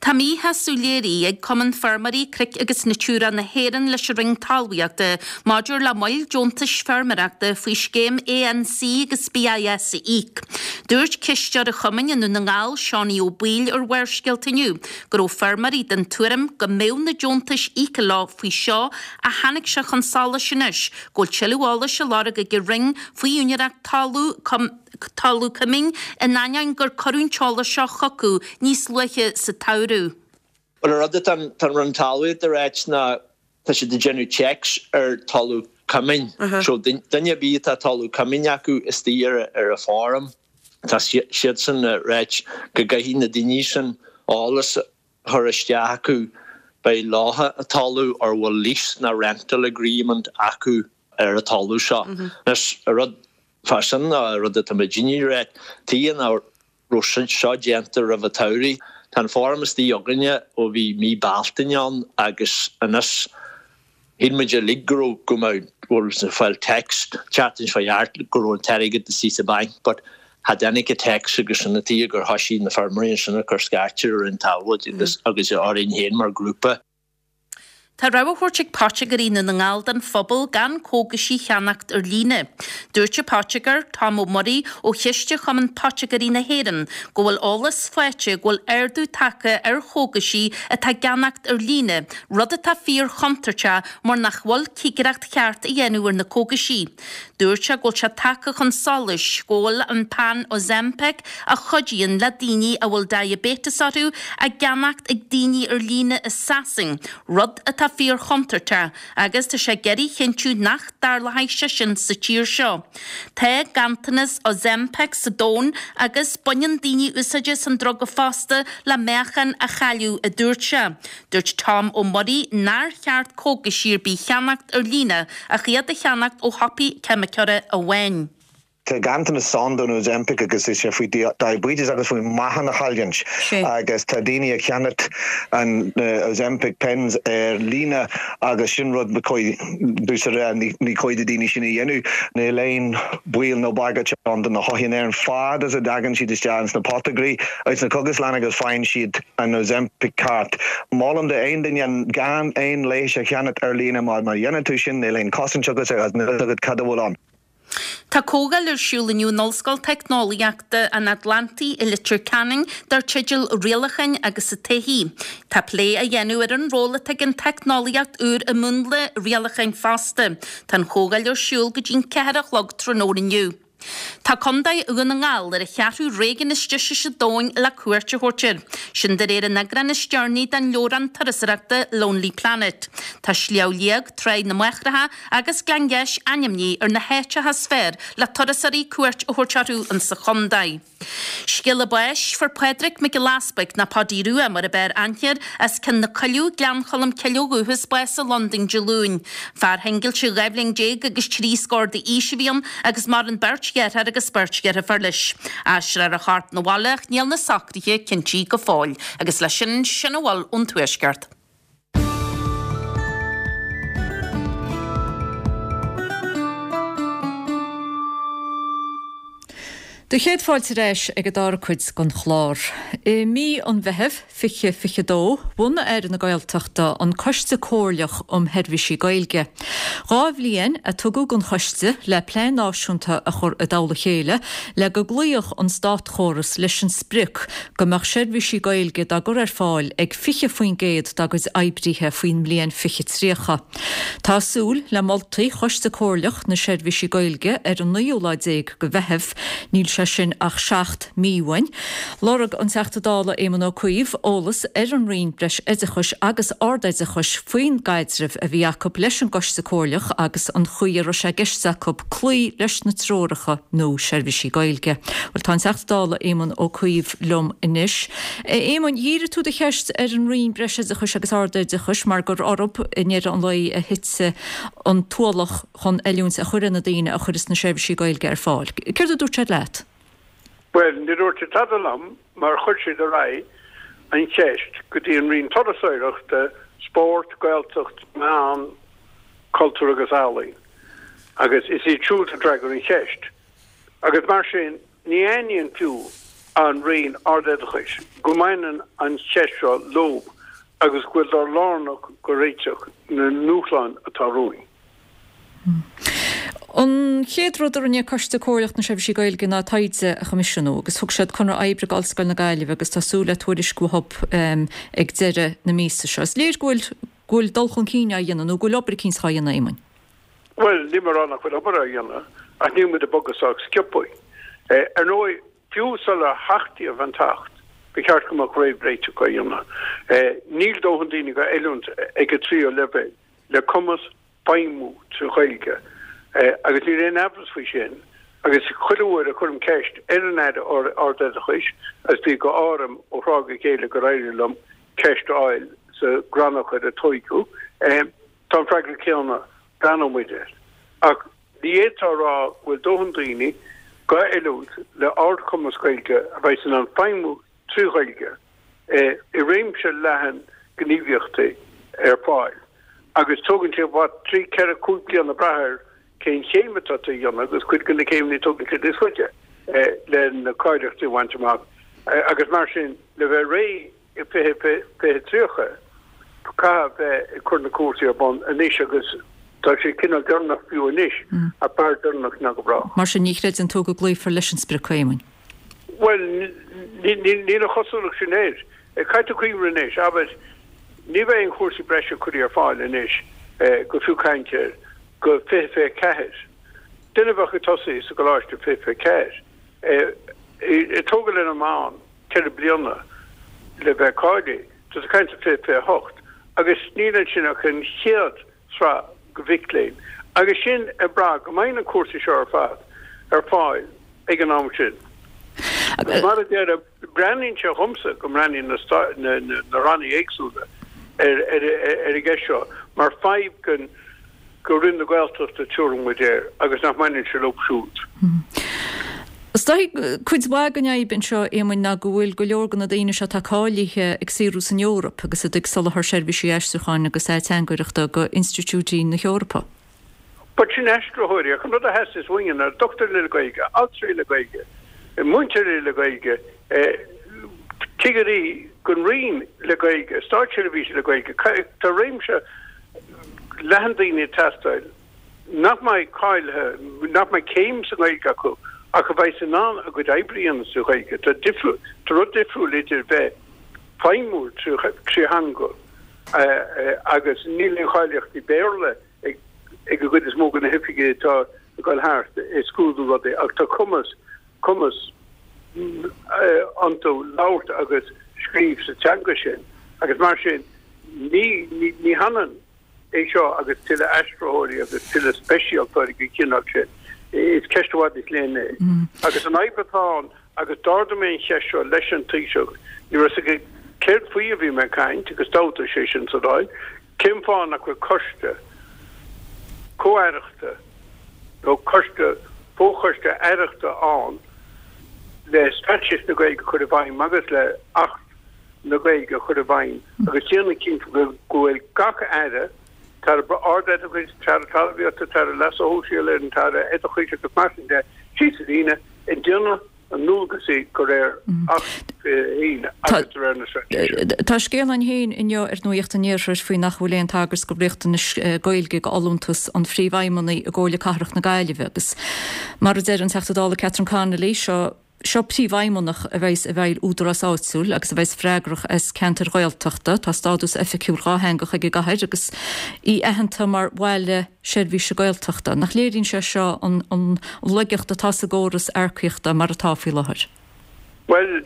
Tá míshásamh léirithe ag Cumann Feirmeoirí Cnoic agus Natura na hÉireann leis an Roinn Talmhaíochta maidir le moill deontais feirmeoireachta faoi scéim ANC agus BIS a íoc. Dúirt cisteoir an chumainn i nDún na nGall, Seánie Ó Baoill ar Bharrscéalta inniu go raibh feirmeoirí den tuairim go mbeadh na deontais íoctha leo faoi seo ach tháinig sé chun solais anois go bhfuil tuilleadh eolais á lorg ag an Roinn faoi úinéireacht talamh talamh coimín in ainneoin gur cuireadh an t-eolas seo chucu níos luaithe sa tsamhradh. Bhuel an rud atá an Roinn Talmhaíochta ag ráit ná tá siad ag déanamh checks ar talamh coimín. So duine ar bith atá talamh coimín acu istigh ar ar a farm, tá siadsan ag ráit go gcaithfidh na daoine sin eolas a chur isteach acu beidh leofa an talamh or bhfuil lease nó rental agreement acu ar an talamh seo. Anois an rud fá sin ná an rud atá muidinne ag ráit, tuige nach raibh seo déanta roimh an tsamhraidh. Tá an form istigh againne ó bhí mí Bealtaine ann agus anois shíl muid uilig go raibh go mbeadh bhfuil ag fáil text tseachtain seo thart go raibh an t-airgead istigh sa banc but cha dtáinig an text agus sin an tuige gur thoisigh na feirmeoirí ansin ag cur scairte ar an Talmhaíocht agus agus orainn féin mar grúpa. Tá rabhadh á thabhairt ag Poitigéirí Dhún na nGall don phobal gan cógaisí a cheannacht ar líne. Dúirt an poitigéir, Tom Ó Muirí ó Chiste Chumann Poitigéirí na hÉireann go bhfuil eolas faighte go bhfuil ardú tagtha ar chógaisí atá á gceannacht ar líne, rud atá fíor-chontúirteach mar nach bhfuil cigireacht cheart á dhéanamh ar na cógaisí. Dúirt sé go bhfuil sé tagtha chun solais go bhfuil an peann Ozempic a chuidíonn le daoine a bhfuil diaibéiteas orthu á gceannacht ag daoine ar líne i Sasain, rud atá fíor-chontúirteach agus tá sé ag iarraidh a chinntiú nach dtarlóidh sé sin sa tír seo. Tá ganntanas Ozempic sa domhan agus baineann daoine úsáid as an druga fosta le meáchan a chailleadh, a dúirt sé. Dúirt Tom Ó Muirí nár cheart cógaisí ar bith a cheannacht ar líne ach iad a cheannacht ó shiopaí ceimiceora amháin. Tá ganntanas ann don Ozempic agus is sé faoi diabetes agus faoi meáchan a chailliúint agus tá daoine ag ceannacht an Ozempic pens ar líne agus sin rud ba chóir ní cóir do daoine sin a dhéanamh. Níl aon baol nó bagairt ann do na hothair in Éirinn fad is a dtagann siad isteach ins na potagraí agus na cógaslanna agus faigheann siad an Ozempic ceart. Molaim do aon duine gan aon leigheas a cheannacht ar líne mar má dhéanann tú sin níl aon cosaint agat agus níl a fhios agat cad a bhfuil ann. Tá comhdháil ar siúl inniu in Ollscoil Teicneolaíochta an Atlantaigh i Leitir Ceanainn dar teideal 'Rialacháin agus an Todhchaí'. Tá plé á dhéanamh ar an ról atá ag an teicneolaíocht úr i múnlú rialacháin fosta. Tá an chomhdháil ar siúl go dtí'n ceathair a chlog tráthnóna inniu. Tá Contae Dhún na nGall ar an cheathrú réigiún is deise sa domhan le cuairt a thabhairt air. Sin de réir an eagráin is deireanaí den leabhrán turasóireachta Lonely Planet. Tá Sliabh Liag, Tráigh na Máithreacha agus Gleann Gheis ainmnithe ar na háiteacha is fearr le turasóirí cuairt a thabhairt orthu insa chontae. Scéala báis, Fuair Pádraig Mac Giolla Easpaig, nó Páidí Rua mar ab fhearr aithne air, as Cionn na Coilleadh, Gleann Cholm Cille ó dhúchas, bás i Londain Dé Luain. Fear shingilte dhá bhliain déag agus trí scór d'aois a bhí ann agus maireann beirt dheartháir agus beirt dheirfiúr leis. Aistreofar a chorp 'na bhaile ach níl na socruithe cinntithe go fóill. Agus leis sin, sin a bhfuil ón Tuaisceart. Do chéad fáilte ar ais ag an dara cuid den chlár. I mí an Mheithimh fiche fiche dó, bhunaigh Aire na Gaeltachta an Coiste Comhairleach um Sheirbhísí Gaeilge. Dhá bhliain a tugadh don choiste le plean náisiúnta a chur i dtoll a chéile le go gcloífeadh an státchóras leis an sprioc go mbeadh seirbhísí Gaeilge dá gcur ar fáil ag fiche faoin gcéad dá gcuid oibrithe faoin mbliain fiche tríocha. Tá súil le moltaí Choiste Comhairleach na Seirbhísí Gaeilge ar an naoú lá déag de Mheitheamh. Níl sé sin ach seacht mí uainn. Lorg an Teachta Dála Éamon Ó Cuív eolas ar an Roinn Breis-Oideachais agus Ardoideachais faoin gcaidreamh a bhí acu leis an gCoiste Comhairleach agus an chaoi a raibh sé i gceist acu cloí leis na treoracha nó seirbhísí Gaeilge. Bhuel, tá an Teachta Dála Éamon Ó Cuív liom anois. A Éamoin, dhírigh tú do cheist ar an Roinn Breis-Oideachais agus Ardoideachais mar gur orthu i ndeireadh an lae a thit an t-ualach chun oiliúint a chur ar na daoine a chuireas na seirbhísí Gaeilge ar fáil. Céard a dúirt siad leat? Bhuel, ní dúirt siad tada liom mar chuir siad ar aghaidh an cheist go dtí an Roinn Turasóireachta, Spórt, Gaeltacht, Meán, Cultúr agus Ealaín agus is iad siúd a d'fhreagair an cheist. Agus mar sin, ní aithníonn fiú an Roinn Ardoideachais go mbaineann an cheist seo leo agus go bhfuil siad lárnach go réiteach na ndúshlán atá romhainn. An chéad rud a rinne Coiste Comhairleach na Seirbhísí Gaeilge ná taighde a choimisiúnú agus thug siad conradh oibre d'Ollscoil na Gaillimhe agus tá súil le tuairisc uathu ag deireadh na míosa seo. Is léir go bhfuil go bhfuil dul chun cinn á dhéanamh nó go bhfuil obair eicínt á dhéanamh, Éamoin. Bhuel, níl mé ag rá nach bhfuil obair á dhéanamh ach níl muid ag bogadh sách sciobtha. Ar ndóigh, fiú sular hachtaíodh an tAcht, ba cheart go mbeadh réamhréiteach á dhéanamh. Níl dóthain daoine dhá oiliúint ag an tríú leibhéal le cumas feidhmiú trí Ghaeilge agus níl aon amhras faoi sin agus chuile uair a chuirim ceist ar an Aire Ardoideachais agus bí go áirim ó thráth go chéile gur éirigh liom ceist a fháil sa gcrannchur ar a toghadh, tá an freagra céanna, breathnóidh muid air. Ach ní fhéadfá a rá go bhfuil dóthain daoine dhá oiliúint le ardchumas Gaeilge a bheas in ann feidhmiú trí Ghaeilge i réimse leathan gníomhaíochtaí ar fáil agus tógann sé what, trí, ceithre, cúig bliana brath ar cén chéim atá tú a dhéanamh agus cuid de na céimeanna tógann siad níos faide le na cáilíochtaí a bhaint amach agus mar sin le bheith réidh i fiche, fiche tríocha caithfidh bheith ag cur na cúrsaí ar bun anois agus tá sé cineál deireanach fiú anois ach b'fhearr deireanach ná go brách. Mar sin ní chreideann tú go gcloífear leis an sprioc, a Éamoin? Bhuel, níl an chosúlacht sin air. Caithfidh tú cuimhneamh anois, abair, ní bheidh aon chúrsaí breise curtha ar fáil anois go fiú caint air go fiche fiche ceathair. Duine a bheadh ag tosaí sa gcoláiste fiche fiche ceathair, ag tógáil ar an meán ceithre bliana le bheith cáilithe, tá tú ag caint ar fiche fiche hocht agus níl ansin ach an chéad sraith de mhic léinn agus sin ag brath go mbeidh na cúrsaí seo ar fad ar fáil ag an am sin. Agus mar a deirim, breathnaíonn sé dhomsa go mbreathnaíonn na na rannaí éagsúla ar ar ar an gceist seo mar fadhb den go Roinn na Gaeltachta tabharfaidh muid air agus nach mbaineann sé leo siúd. Is dóigh cuid mhaith den fhadhb anseo, Éamoinn, ná go bhfuil go leor de na daoine seo atá cáilithe ag saothrú san Eoraip agus iad ag soláthar seirbhísí aistriúcháin agus ateangaireachta go institiúidí na hEorpa. But sin aistritheoirí, ach an rud a theastaíos uainn ná dochtúirí le Gaeilge, altraí le Gaeilge, múinteoirí le Gaeilge, cigirí don Roinn le Gaeilge, státseirbhísigh le Gaeilge. Tá réimse leathan daoine ag teastáil nach mbeidh cáilithe, nach mbeidh céim sa Ghaeilge acu ach a bheidh in ann a gcuid oibre a dhéanamh sa Ghaeilge. Tá tá rud difriúil idir bheith feidhmiúil trí theanga agus níl aon cháilíochtaí Béarla ag ag an gcuid is mó de na hoifigigh atá ag dul thart ag scrúdú rudaí ach tá cumas cumas iontu labhairt agus scríobh sa teanga sin agus mar sin ní ní ní hionann é seo agus tuilleadh aistritheoirí agus tuilleadh speisialtóirí den chineál sin. Is ceist i bhfad níos leithne é. Agus an fhadhb atá ann agus d'ardaigh mé an cheist seo leis an Taoiseach, ní raibh a fhios aige céard faoi a bhí mé ag caint agus d'fhabhtaigh sé sin sa Dáil, Cén fáth nach bhfuil coiste comh-aireachta nó coiste, fo-choiste aireachta ann le Straitéis na Gaeilge a chur i bhfeidhm agus le Acht na Gaeilge a chur i bhfeidhm agus déanamh cinnte go bhfuil gach aire, tAire Ardoideachais, tAire Talmhaíochta, tAire Leasa Shóisialaigh, an tAire Oideachais agus mar sin de, síos an líne, ag déanamh a ndualgaisí de réir Acht fiche a haon agus de réir na Straitéise. Tá scéal ann féin inniu ar Nuacht an Iarthair faoi nach bhfuil aon tagairt do riachtanais Gaeilge do fholúntas an Phríomhfheidhmeannaigh i gComhairle Cathrach na Gaillimhe agus mar a deir an Teachta Dála Catherine Connolly, seo seo príomhfheidhmeannach a bheas i bhfeighil údarás áitiúil agus a bheas freagrach as ceantair Ghaeltachta. Tá stádas oifigiúil dhátheangach ag an gcathair agus í aitheanta mar bhaile seirbhíse Gaeltachta. Nach léiríonn sé seo an an laigeacht atá sa gcóras earcaíochta mar atá faoi láthair? Bhuel,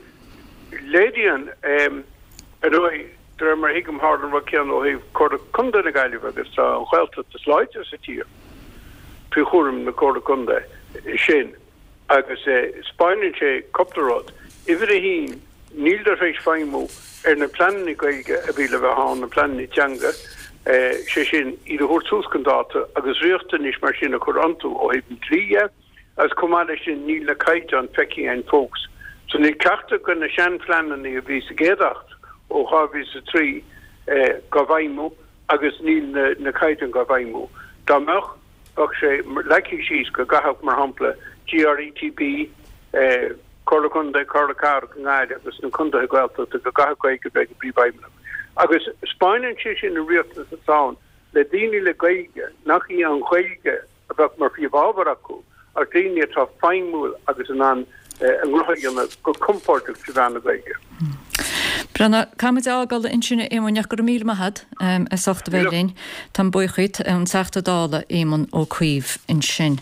léiríonn. Ar ndóigh, de réir mar a thuigim, tharla an rud céanna ó thaobh Comhairle Contae na Gaillimhe agus tá an Ghaeltacht is láidre sa tír faoi chúram na Comhairle Contae sin agus 'spáineann sé cúpla rud. Uimhir a haon, níltear tar éis feidhmiú ar na pleananna Gaeilge a bhí le bheith ann, na pleananna teanga, sé sin, iad a thabhairt suas chun dáta agus riachtanais mar sin a chur iontu ó thaobh an dlí dhe agus chomh maith leis sin níl na caighdeáin feicthe againn fós. So níl ceachtar de na seanphleananna a bhí sa gcéad Acht ó dhá mhíle is a trí dhá bhfeidhmiú agus níl na caighdeáin dhá bhfeidhmiú. Dá mbeadh, Bheadh sé leagtha síos go gcaithfeadh, mar shampla, GRETB, Comhairle Contae, Comhairle Cathrach i nGaillimh agus na contaetha Gaeltachta, go gcaithfeadh Gaeilge a bheith ag an bpríomhfheidhmeannach. Agus 'spáineann sé sin an riachtanas atá ann le daoine le Gaeilge, nach í an Ghaeilge a bheadh mar phríomhábhar acu, ach daoine atá feidhmiúil agus in ann a ngnó a dhéanamh go compordach trí mheán na Gaeilge. Breandán, caithfimid a fhágáil ansin a Éamoinn ach go raibh míle maith agat as ucht a bheith linn. Táim buíoch díot, an Teachta Dála Éamon Ó Cuív ansin.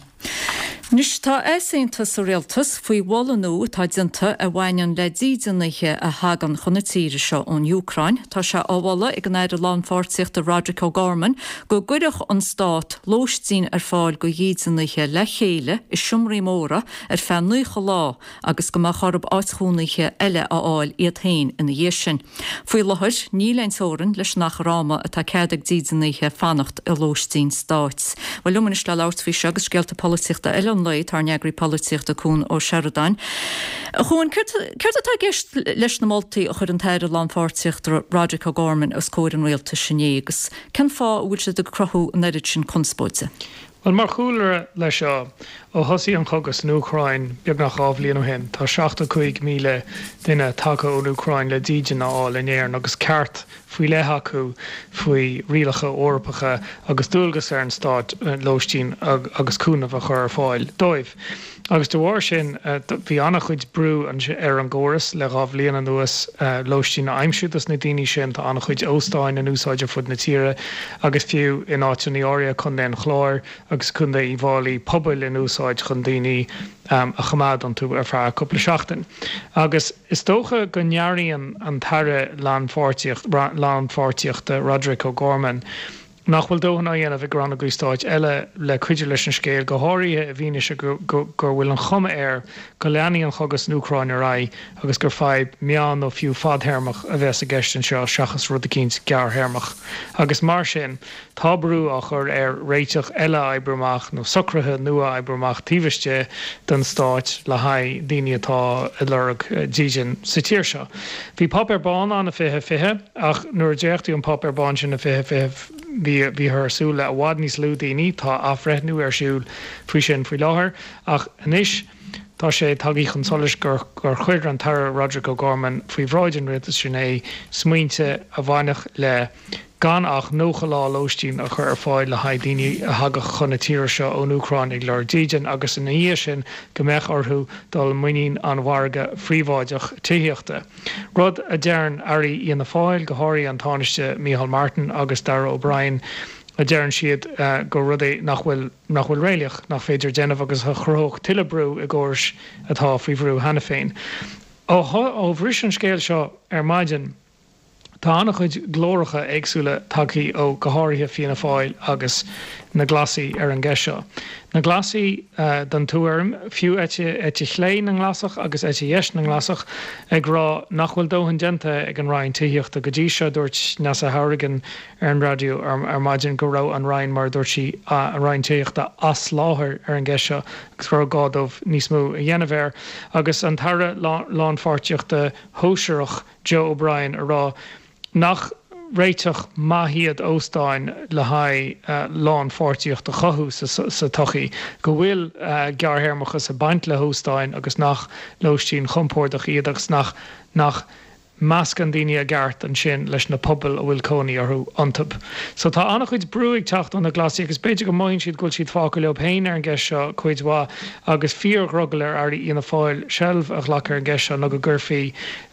Anois tá easaontas sa Rialtas faoi mholadh nua atá déanta a bhaineann le dídeanaithe a thagann chun na tíre seo ón Úcráin. Tá sé á mholadh ag an Aire Lánpháirtíochta Roderic O'Gorman go gcuirfeadh an Stát lóistín ar fáil go dhídeanaithe le chéile i seomraí móra ar feadh naocha lá agus go mbeadh orthu áit chónaithe eile a fháil iad féin ina dhiaidh sin. Faoi láthair, níl aon teorainn leis an achar ama atá cead ag dídeanaithe fanacht i lóistín stáit. Bhuel, liom anois le labhairt faoi seo agus scéalta polaitíochta eile an lae, tá ár n-eagraí polaitíochta Cuan Ó Seireadáin. A Chuain, céard atá i gceist leis na moltaí a chuir an tAire Lánpháirtíochta Roderic O'Gorman os comhair an rialtais inné agus cén fáth a bhfuil siad ag cruthú an oiread sin conspóide? Bhuel, mar chúlra leis seo, ó thosaigh an cogadh san Úcráin beagnach dhá bhliain ó shin, tá seachtó cúig míle duine tagtha ón Úcráin le dídean a fháil in Éirinn agus ceart faoi leith acu faoi rialacha Eorpacha agus dualgas ar an stát lóistín agus cúnamh a chur ar fáil dóibh. Agus de bharr sin, bhí an-chuid brú ar an gcóras le dhá bhliain anuas lóistín a aimsiú dos na daoine sin. Tá an-chuid óstáin in úsáid ar fud na tíre agus fiú in áiteanna áirithe, Contae an Chláir agus Contae Uíbh Fhailí, pubaill in úsáid chun daoine a choimeád iontu ar feadh cúpla seachtain. Agus is dócha go ndearbhaíonn an tAire Lánpháirtíochta, Roderic O'Gorman, nach bhfuil dóthain á dhéanamh ag rannógaí stáit eile le cuidiú leis an scéal, go háirithe i bhfianaise go bhfuil an chuma air go leanfaidh an cogadh san Úcráin ar aghaidh agus gur fadhb meán nó fiú fadthéarmach a bheas i gceist anseo seachas rud eicínt gearrthéarmach. Agus mar sin, tá brú á chur air réiteach eile a oibriú amach nó socruithe nua a oibriú amach taobh istigh den stát le haghaidh daoine atá ag lorg dídean sa tír seo. Bhí Páipéar Bán ann i fiche fiche ach nuair a dréachtaíodh an Páipéar Bán sin i fiche fiche bhí bhíothar ag súil le i bhfad níos lú daoine, tá athbhreithniú ar siúl faoi sin faoi láthair ach anois tá sé tagtha chun solais gur gur chuir an tAire Roderic O'Gorman faoi bhráid an rialtais inné smaointe a bhainfeadh le gan ach nócha lá lóistín a chur ar fáil le haghaidh daoine a thagadh chun na tíre seo ón Úcráin ag lorg dídean agus ina dhiaidh sin go mbeadh orthu dul i muinín an mhargaidh phríobháideach tithíochta. Rud a deireann airí Fhianna Fáil, go háirithe an Tánaiste Micheál Martin agus Darragh O'Brien, a deireann siad gur rud é nach bhfuil nach bhfuil réalaíoch, nach féidir déanamh agus a chruthódh tuilleadh brú i gcórais atá faoi bhrú cheana féin. Ó bhris an scéal seo ar maidin, Tá an-chuid glóracha éagsúla tagtha ó go háirithe Fianna Fáil agus na Glasaigh ar an gceist seo. Na Glasaigh den tuairim, fiú eite eite chlé na nGlasach agus eite dheis na nGlasach, ag rá nach bhfuil dóthain déanta ag an Roinn Tithíochta go dtí seo. Dúirt Neasa Hourigan ar an raidió ar maidin go raibh an Roinn, mar a dúirt sí, an Roinn Tithíochta, as láthair ar an gceist seo agus go raibh gá dóibh níos mó a dhéanamh air. Agus an tAire Lánpháirtíochta Shóisearach, Joe O'Brien a rá nach réiteach maith iad óstáin le haghaidh lánpháirtíocht a chothú sa tsochaí, go bhfuil gearrthéarmachas ag baint le hóstáin agus nach lóistín chompordach iad agus nach nach meascann daoine i gceart ansin leis na pobail a bhfuil cónaí orthu iontu. So tá an-chuid brú ag teacht ó na Glasaigh agus b'fhéidir go mothaíonn siad go bhfuil siad fágtha leo féin ar an gceist seo cuid mhaith agus fíordhrogall ar airí Fhianna Fáil seilbh a ghlacadh ar an gceist seo nó go gcuirfí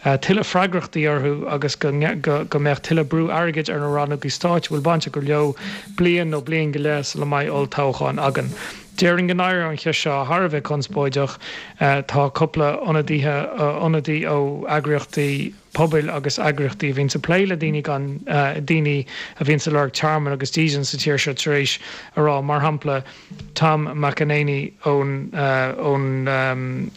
tuilleadh freagrachtaí orthu agus go go mbeadh tuilleadh brú airgid ar na rannógaí stáit a bhfuil baint acu leo bliain nó bliain go leith sula mbeidh olltoghchán againn. Déarfainn go n-éireoidh an cheist seo thar a bheith conspóideach. Tá cúpla ionadaithe, ionadaí ó eagraíochtaí pobail agus eagraíochtaí a bhíonns ag plé le daoine gan, daoine a bhíonns ag lorg tearmann agus dídean sa tír seo tar éis a rá, mar shampla Tom McEnaney ón, ón.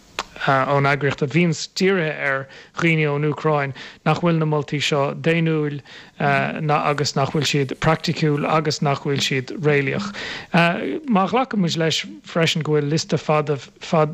ón eagraíocht a bhíonns dírithe ar dhaoine ón Úcráin, nach bhfuil na moltaí seo daonnúil agus nach bhfuil siad praiticiúil agus nach bhfuil siad réalaíoch. Má ghlacann muid leis freisin go bhfuil liosta fada,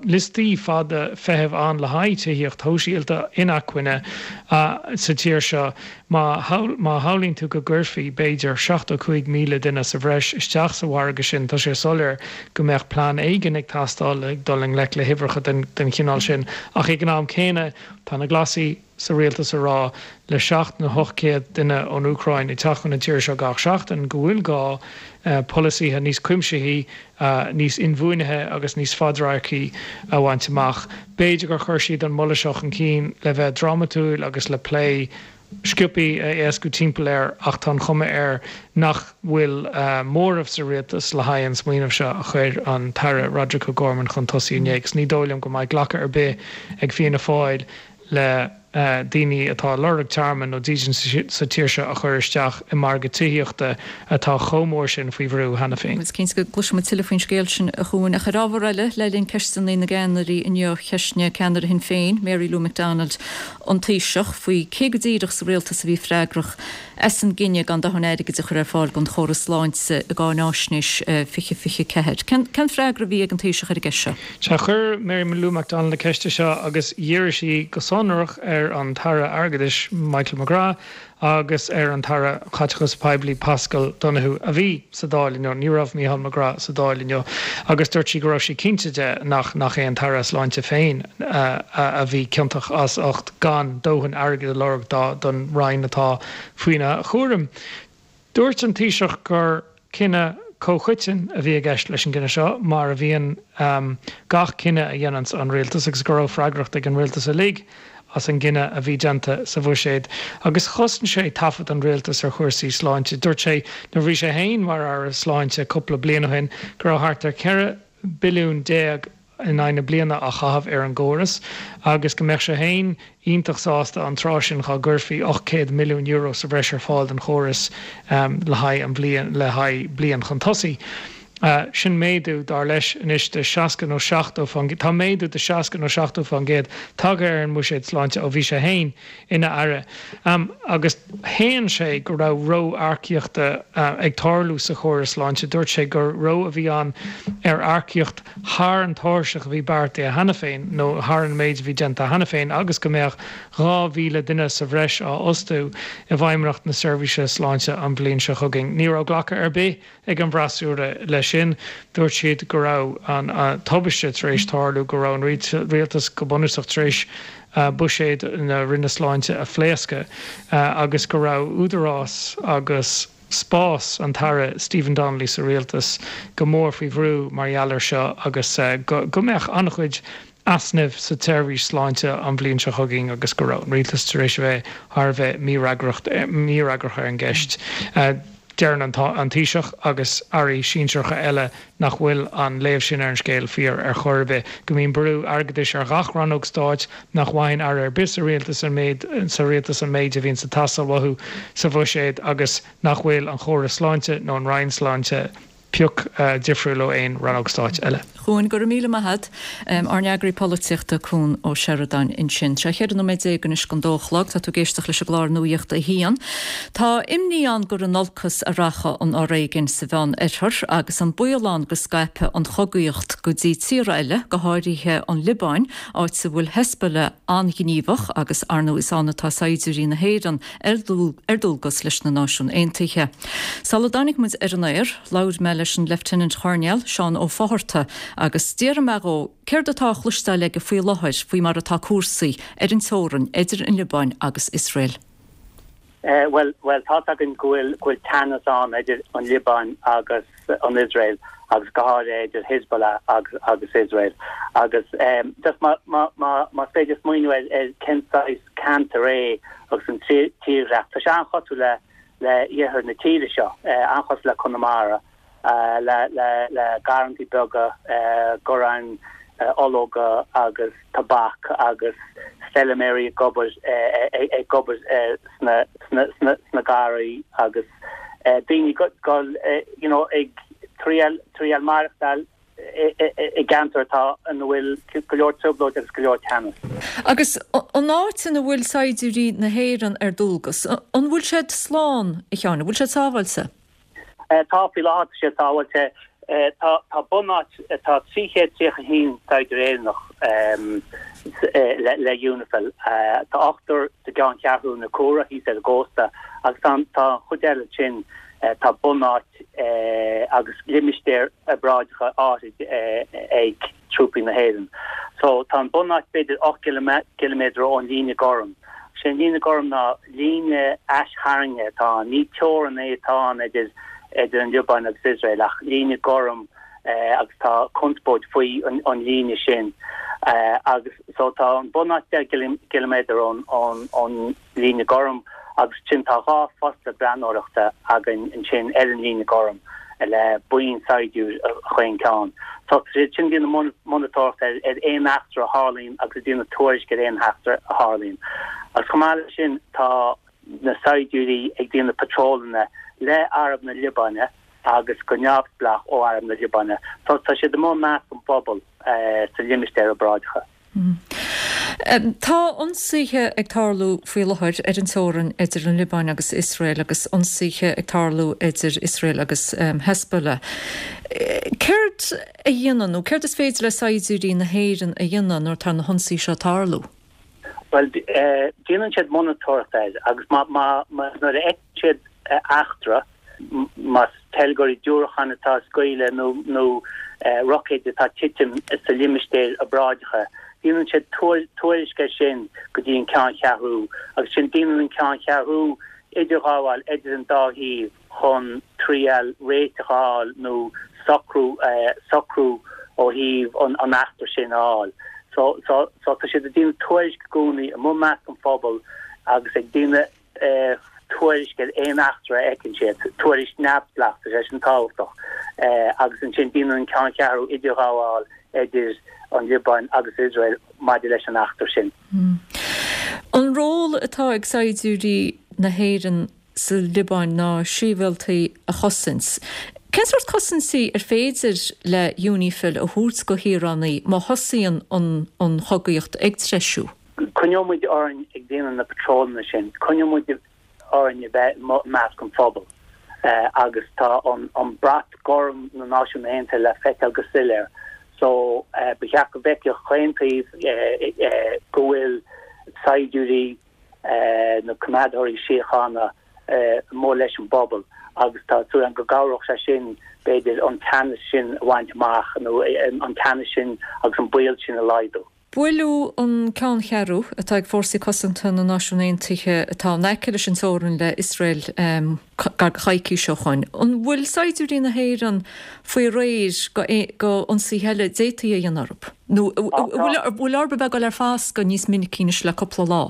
liostaí fada feithimh ann le haghaidh tithíocht shóisialta inacmhainne sa tír seo, Má shamhlaíonn tú go gcuirfí, b'fhéidir, seachtó cúig míle duine sa bhreis isteach sa mhargadh sin, tá sé soiléir go mbeadh plean éigin ag teastáil le dul i ngleic le huimhreacha den chineál sin. Ach ag an am céanna, tá na Glasaigh sa rialtas ag rá, le seacht nó ocht gcéad duine ón Úcráin ag teacht chun na tíre seo gach seachtain, go bhfuil gá polasaithe níos cuimsithí, níos inbhuanaithe agus níos fadradharcaí a bhaint amach. B'fhéidir gur chuir siad an moladh seo chun cinn le bheith drámatúil agus le plé sciobtha a éascú timpeall air ach tá an chuma air nach bhfuil móramh sa rialtas le haghaidh an smaoineamh seo a chuir an tAire Roderic O'Gorman chun tosaigh inné agus ní dóigh liom go mbeidh glacadh ar bith ag Fianna Fáil le daoine atá ag lorg tearmann nó dídean sa tír seo a chur isteach i margadh tithíochta atá chomh mór sin faoi bhrú cheana féin. Is cinnte go gcloisfidh muid tuilleadh faoin scéal sin a Chuain. Ach ar ábhar eile, le linn ceisteanna na gceannairí inniu, cheistnigh ceannaire Shinn Féin, Mary Lou McDonald, an Taoiseach faoi cé go díreach sa rialtas a bhí freagrach as an gcinneadh gan dóthain airgid a chur ar fáil don chóras sláinte i gCáináisnéis fiche fiche ceathair. Cén freagra a bhí ag an Taoiseach ar an gceist seo? Sea, chuir Mary Lou McDonald na ceiste seo agus dhírigh sí go sonrach ar an tAire Airgeadais Michael McGrath agus ar an tAire Caiteachais Poiblí Paschal Donohoe a bhí sa Dáil inniu. Ní raibh Micheál McGrath sa Dáil inniu agus dúirt sí go raibh sí cinnte de nach nach é an tAire Sláinte féin a bhí ciontach as ucht gan dóthain airgid a lorg dá don Roinn atá faoina chúram. Dúirt an Taoiseach gur cinneadh comhchoiteann a bhí i gceist leis an gcinneadh seo, mar a bhíonn gach cinneadh a dhéananns an rialtas, agus go raibh freagracht ag an rialtas uilig as an gcinneadh a bhí déanta sa bhuiséad. Agus chosain sé taifead an rialtais ar chúrsaí sláinte. Dúirt sé nuair a bhí sé féin mar Aire Sláinte cúpla bliain ó shin go raibh thart ar ceithre billiún déag in aghaidh na bliana á chaitheamh ar an gcóras agus go mbeadh sé féin iontach sásta an tráth sin dhá gcuirfí ocht gcéad milliún euro sa bhreis ar fáil don chóras le haghaidh an bhliain le haghaidh bliain chun tosaigh. Sin méadú, dar leis anois, de seasca nó seachtó faoin gcéad. Tá méadú de seasca nó seachtó faoin gcéad tagtha ar an mbuiséad sláinte ó bhí sé féin ina aire. Agus shéan sé go raibh ró-earcaíochta ag tarlú sa chóras sláinte. Dúirt sé gur ró a bhí ann ar earcaíocht thar an tairseach a bhí beartaithe cheana féin, nó thar an méid a bhí déanta cheana féin, agus go mbeadh dhá mhíle duine sa bhreis á fhostú i bhFeidhmeannacht na Seirbhíse Sláinte an bhliain seo chugainn. Ní raibh glacadh ar bith ag an bhfreasúra leis sin. Dúirt siad go raibh an tubaiste tar éis tarlú, go raibh an rialtas go bunúsach tar éis buiséad na Roinne Sláinte a phléascadh agus go raibh údarás agus spás an tAire Stephen Donnelly sa rialtas go mór faoi bhrú mar gheall air seo agus go mbeadh an-chuid easnaimh sa tseirbhís sláinte an bhliain seo chugainn agus go raibh an rialtas tar éis a bheith thar a bheith mífhreagrach ar an gceist. Deireann an Taoiseach agus airí sinsearacha eile nach bhfuil an léamh sin ar an scéal fíor ar chor ar bith, go mbíonn brú airgeadais ar ghach rannóg stáit, nach bhfaigheann aire ar bith sa rialtas an méid sa rialtas an méid a bhíonn ag teastáil uathu sa bhuiséad agus nach bhfuil an chóras sláinte nó an Roinn Sláinte pioc difriúil ó aon rannóg stáit eile. Chuan, go raibh míle maith agat. Ár n-eagraí polaitíochta, Cuan Ó Seireadáin ansin. Sé cheithre nóiméad déag anois don dó a chlog. Tá tú ag éisteacht leis an gclár Nuacht a hAon. Tá imní ann gur in olcas a rachadh an fhoréigean sa Mheán Oirthear agus an baol ann go scaipfidh an chogaíocht go dtí tíortha eile, go háirithe an Liobáin, áit a bhfuil Hezbollah an-ghníomhach agus ar ndóigh is ann atá saighdiúirí na hÉireann ar dualgas leis na Náisiúin Aontaithe. Sula dtáinig muid ar an aer, labhair mé leis an Leifteanant Choirnéal, Seán Ó Fátharta, agus d'fhiafraigh mé dhó céard atá á chloisteáil aige faoi láthair faoi mar atá cúrsaí ar an teorainn idir an Liobáin agus Iosrael. Bhuel, bhuel, tá's againn go bhfuil, go bhfuil teannas ann idir an Liobáin agus an Iosrael agus go háirithe idir Hezbollah agus, agus Iosrael. Agus just má, má, má, más féidir smaoineamh ar, ar cén saghas ceantar é agus an tírdhreach, tá sé an-chosúil le, le iarthar na tíre seo, an-chosúil le Conamara, le, le, le garrantaí beaga, garrantaí ológa agus tobac agus feilméaraí ag obair ag obair sna sna sna sna garraí agus daoine go you know ag triail triail maireachtáil i gceantar atá ina bhfuil go leor trioblóid agus go leor teannas. Agus an áit ina bhfuil saighdiúirí na hÉireann ar dualgas, an bhfuil siad slán, a Sheáin, an bhfuil siad sábháilte? Tá, faoi láthair tá siad sábháilte. Tá tá bunáit tá trí chéad tríocha a haon saighdiúir Éireannach le le Unifil. Tá ochtar sa gceanncheathrú na Cora thíos ar an gcósta agus tá tá an chuid eile sin tá bunáit agus limistéir obráideacha áirid ag trúpaí na hÉireann. So tá an bunáit b'fhéidir ocht gciliméadar ón líne gorm. Sé an líne gorm ná líne aistharraingthe atá ann, ní teorainn é atá ann idir idir an Liobáin agus Iosrael ach líne gorm agus tá conspóid faoi an líne sin agus so tá an bunáit deich gciliméadar ón ón ón líne gorm agus ansin tá dhá phosta breathnóireachta againn ansin ar an líne gorm le buíon saighdiúir chaon ceann. So tá siad sin ag déanamh monatóireacht ar ar aon eachtra a tharlaíonn agus ag déanamh tuairisc ar aon eachtra a tharlaíonn. Agus chomh maith leis sin tá na saighdiúirí ag déanamh patrólanna le Arm na Liobáine agus go neamhspleách ó Arm na Liobáine. So tá siad amuigh i measc an phobail sa limistéar obráideacha. Tá ionsaithe ag tarlú faoi láthair ar an teorainn idir an Liobáin agus Iosrael agus ionsaithe ag tarlú idir Iosrael agus Hezbollah. Céard a dhéanann nó céard is féidir le saighdiúirí na hÉireann a dhéanamh nuair atá na hionsaithe seo ag tarlú? Bhuel, déanann siad monatóireacht air agus má, má, má, nuair a fheiceann siad eachtra, más teilgeoirí diúracán atá ag scaoileadh nó, nó roicéid atá ag titim sa limistéar obráideacha, déanann siad tuairisc air sin go dtí an ceanncheathrú agus ansin déanann an ceanncheathrú idirghabháil idir an dá thaobh chun triail réiteach a fháil nó socrú, socrú ó thaobh an, an eachtra sin a fháil. So, so, so tá siad ag déanamh tuairisc i gcónaí amuigh i measc an phobail agus ag déanamh tuairisc ar aon eachtra a fheiceann siad, tuairisc neamhspleách, tá sé sin tábhachtach, agus ansin déanann an ceanncheathrú idirghabháil idir an Liobáin agus Iosrael maidir leis an eachtra sin. An ról atá ag saighdiúirí na hÉireann sa Liobáin ná sibhialtaigh a chosaint. Cén sórt cosaintí ar féidir le UNIFIL a thabhairt go shaoránaigh má thosaíonn an chogaíocht ag treisiú? Coinneoidh muid orainn ag déanamh na patrólanna sin, coinneoidh muid orainn a bheith i measc an phobail agus tá an brat gorm na Náisiún Aontaithe le feiceáil go soiléir so ba cheart go bhfeicfeadh chaon taobh go bhfuil saighdiúirí nó coimeádóirí síochána amuigh leis an bpobal agus tá súil agam go gcabhródh sé sin b'fhéidir an teannas sin a bhaint amach nó an teannas sin agus an baol sin a laghdú. Buaileadh an ceanncheathrú atá ag Fórsaí Cosanta na Náisiún Aontaithe atá in aice leis an teorainn le Iosrael gar do choicís ó shoin. An bhfuil saighdiúirí na hÉireann faoi réir go ionsaithe eile a d'fhéadfaí a dhéanamh orthu? Nó an bhfuil orthu a bheith ag dul ar foscadh níos minicí anois le cúpla lá?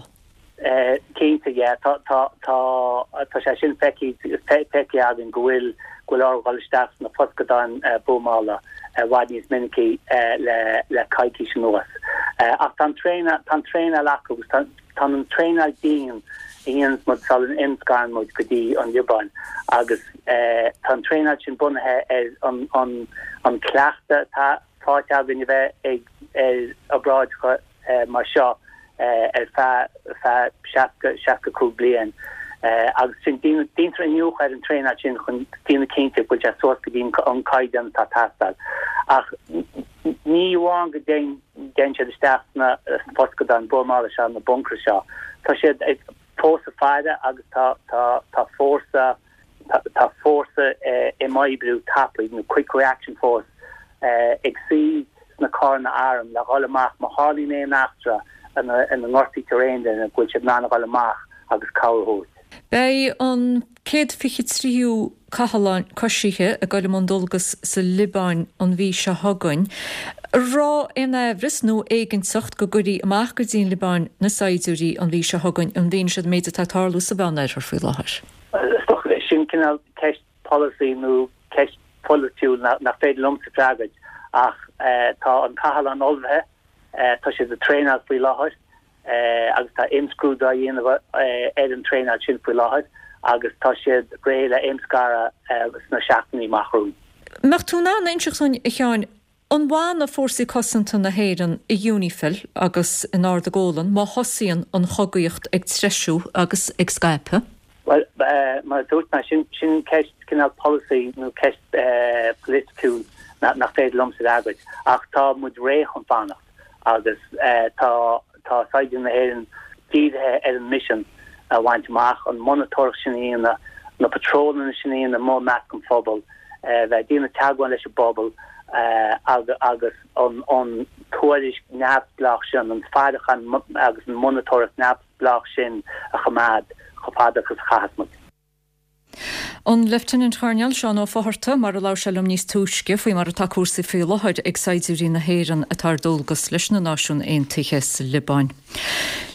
Cinnte, yeah. Tá, tá, tá, tá sé sin feicthe, feicthe againn go bhfuil, go bhfuil orainn dul isteach sna foscadáin buamála i bhfad níos minicí le, le coicís anuas. Ach tá an traenáil, tá an traenáil acu agus tá, tá an traenáil dian a dhéananns muid sula n-imscarann muid go dtí an Liobáin agus tá an traenáil sin bunaithe ar an, an, an cleachtadh atá faighte againn a bheith ag, ar obráideacha mar seo ar feadh seasca, seasca cúig bliain agus sin déantar iniúchadh ar an traenáil sin chun déanamh cinnte go bhfuil sé suas go dtí an caighdeán atá ag teastáil. Ach ní amháin go dtéann siad isteach sna foscadáin buamála seo, na bunkers seo, tá siad ag fós ag faire agus tá tá tá fórsa tá fórsa imoibriú tapaidh nó quick reaction force ag suí sna carranna airm le dhul amach má tharlaíonn aon eachtra ina ngortaítear aon duine go bhfuil siad in ann a dhul amach agus cabhair a thabhairt. Beidh an céad fiche tríú cathlán coisithe ag dul i mbun dualgas sa Liobáin an mhí seo chugainn. An raibh aon amhras nó éiginnteacht go gcuirfí amach go dtí an Liobáin na saighdiúirí an mhí seo chugainn i bhfianaise an méid atá ag tarlú sa Mheánoirthear faoi láthair? Is dócha sin cineál ceist polasaí nó ceist pholaitiúil nach féidir liomsa freagairt ach tá an cathlán ullmhaithe, tá siad ag traenáil faoi láthair agus tá imscrúdú á dhéanamh ar an traenáil sin faoi láthair agus tá siad réidh le imscaradh sna seachtainí amach romhainn. Mbeadh tú in ann a inseacht dúinn, a Sheáin, an bhfanfaidh Fórsaí Cosanta na hÉireann i UNIFIL agus in Ard an Gólan má thosaíonn an chogaíocht ag treisiú agus ag scaipeadh? Bhuel, mar a dúirt mé, sin sin ceist cineál polasaí nó ceist pholaitiúil nach féidir liomsa a fhreagairt. Ach tá muid réidh chun fanacht agus tá tá saighdiúirí na hÉireann dírithe ar an misean a bhaint amach, an monatóireacht sin a dhéanamh, na patrólanna sin a dhéanamh amuigh i measc an phobail, bheith ag déanamh teagmháil leis an bpobal agus an an tuairisc neamhspleách sin, an faireachán agus an monatóireacht neamhspleách sin a choimeád chomh fada agus a chaithfeas muid. An Leifteanant-Choirnéal Seán Ó Fátharta, mar a labhair sé liom níos túisce, faoi mar atá cúrsaí faoi láthair ag saighdiúirí na hÉireann atá ar dualgas leis na Náisiúin Aontaithe sa Liobáin.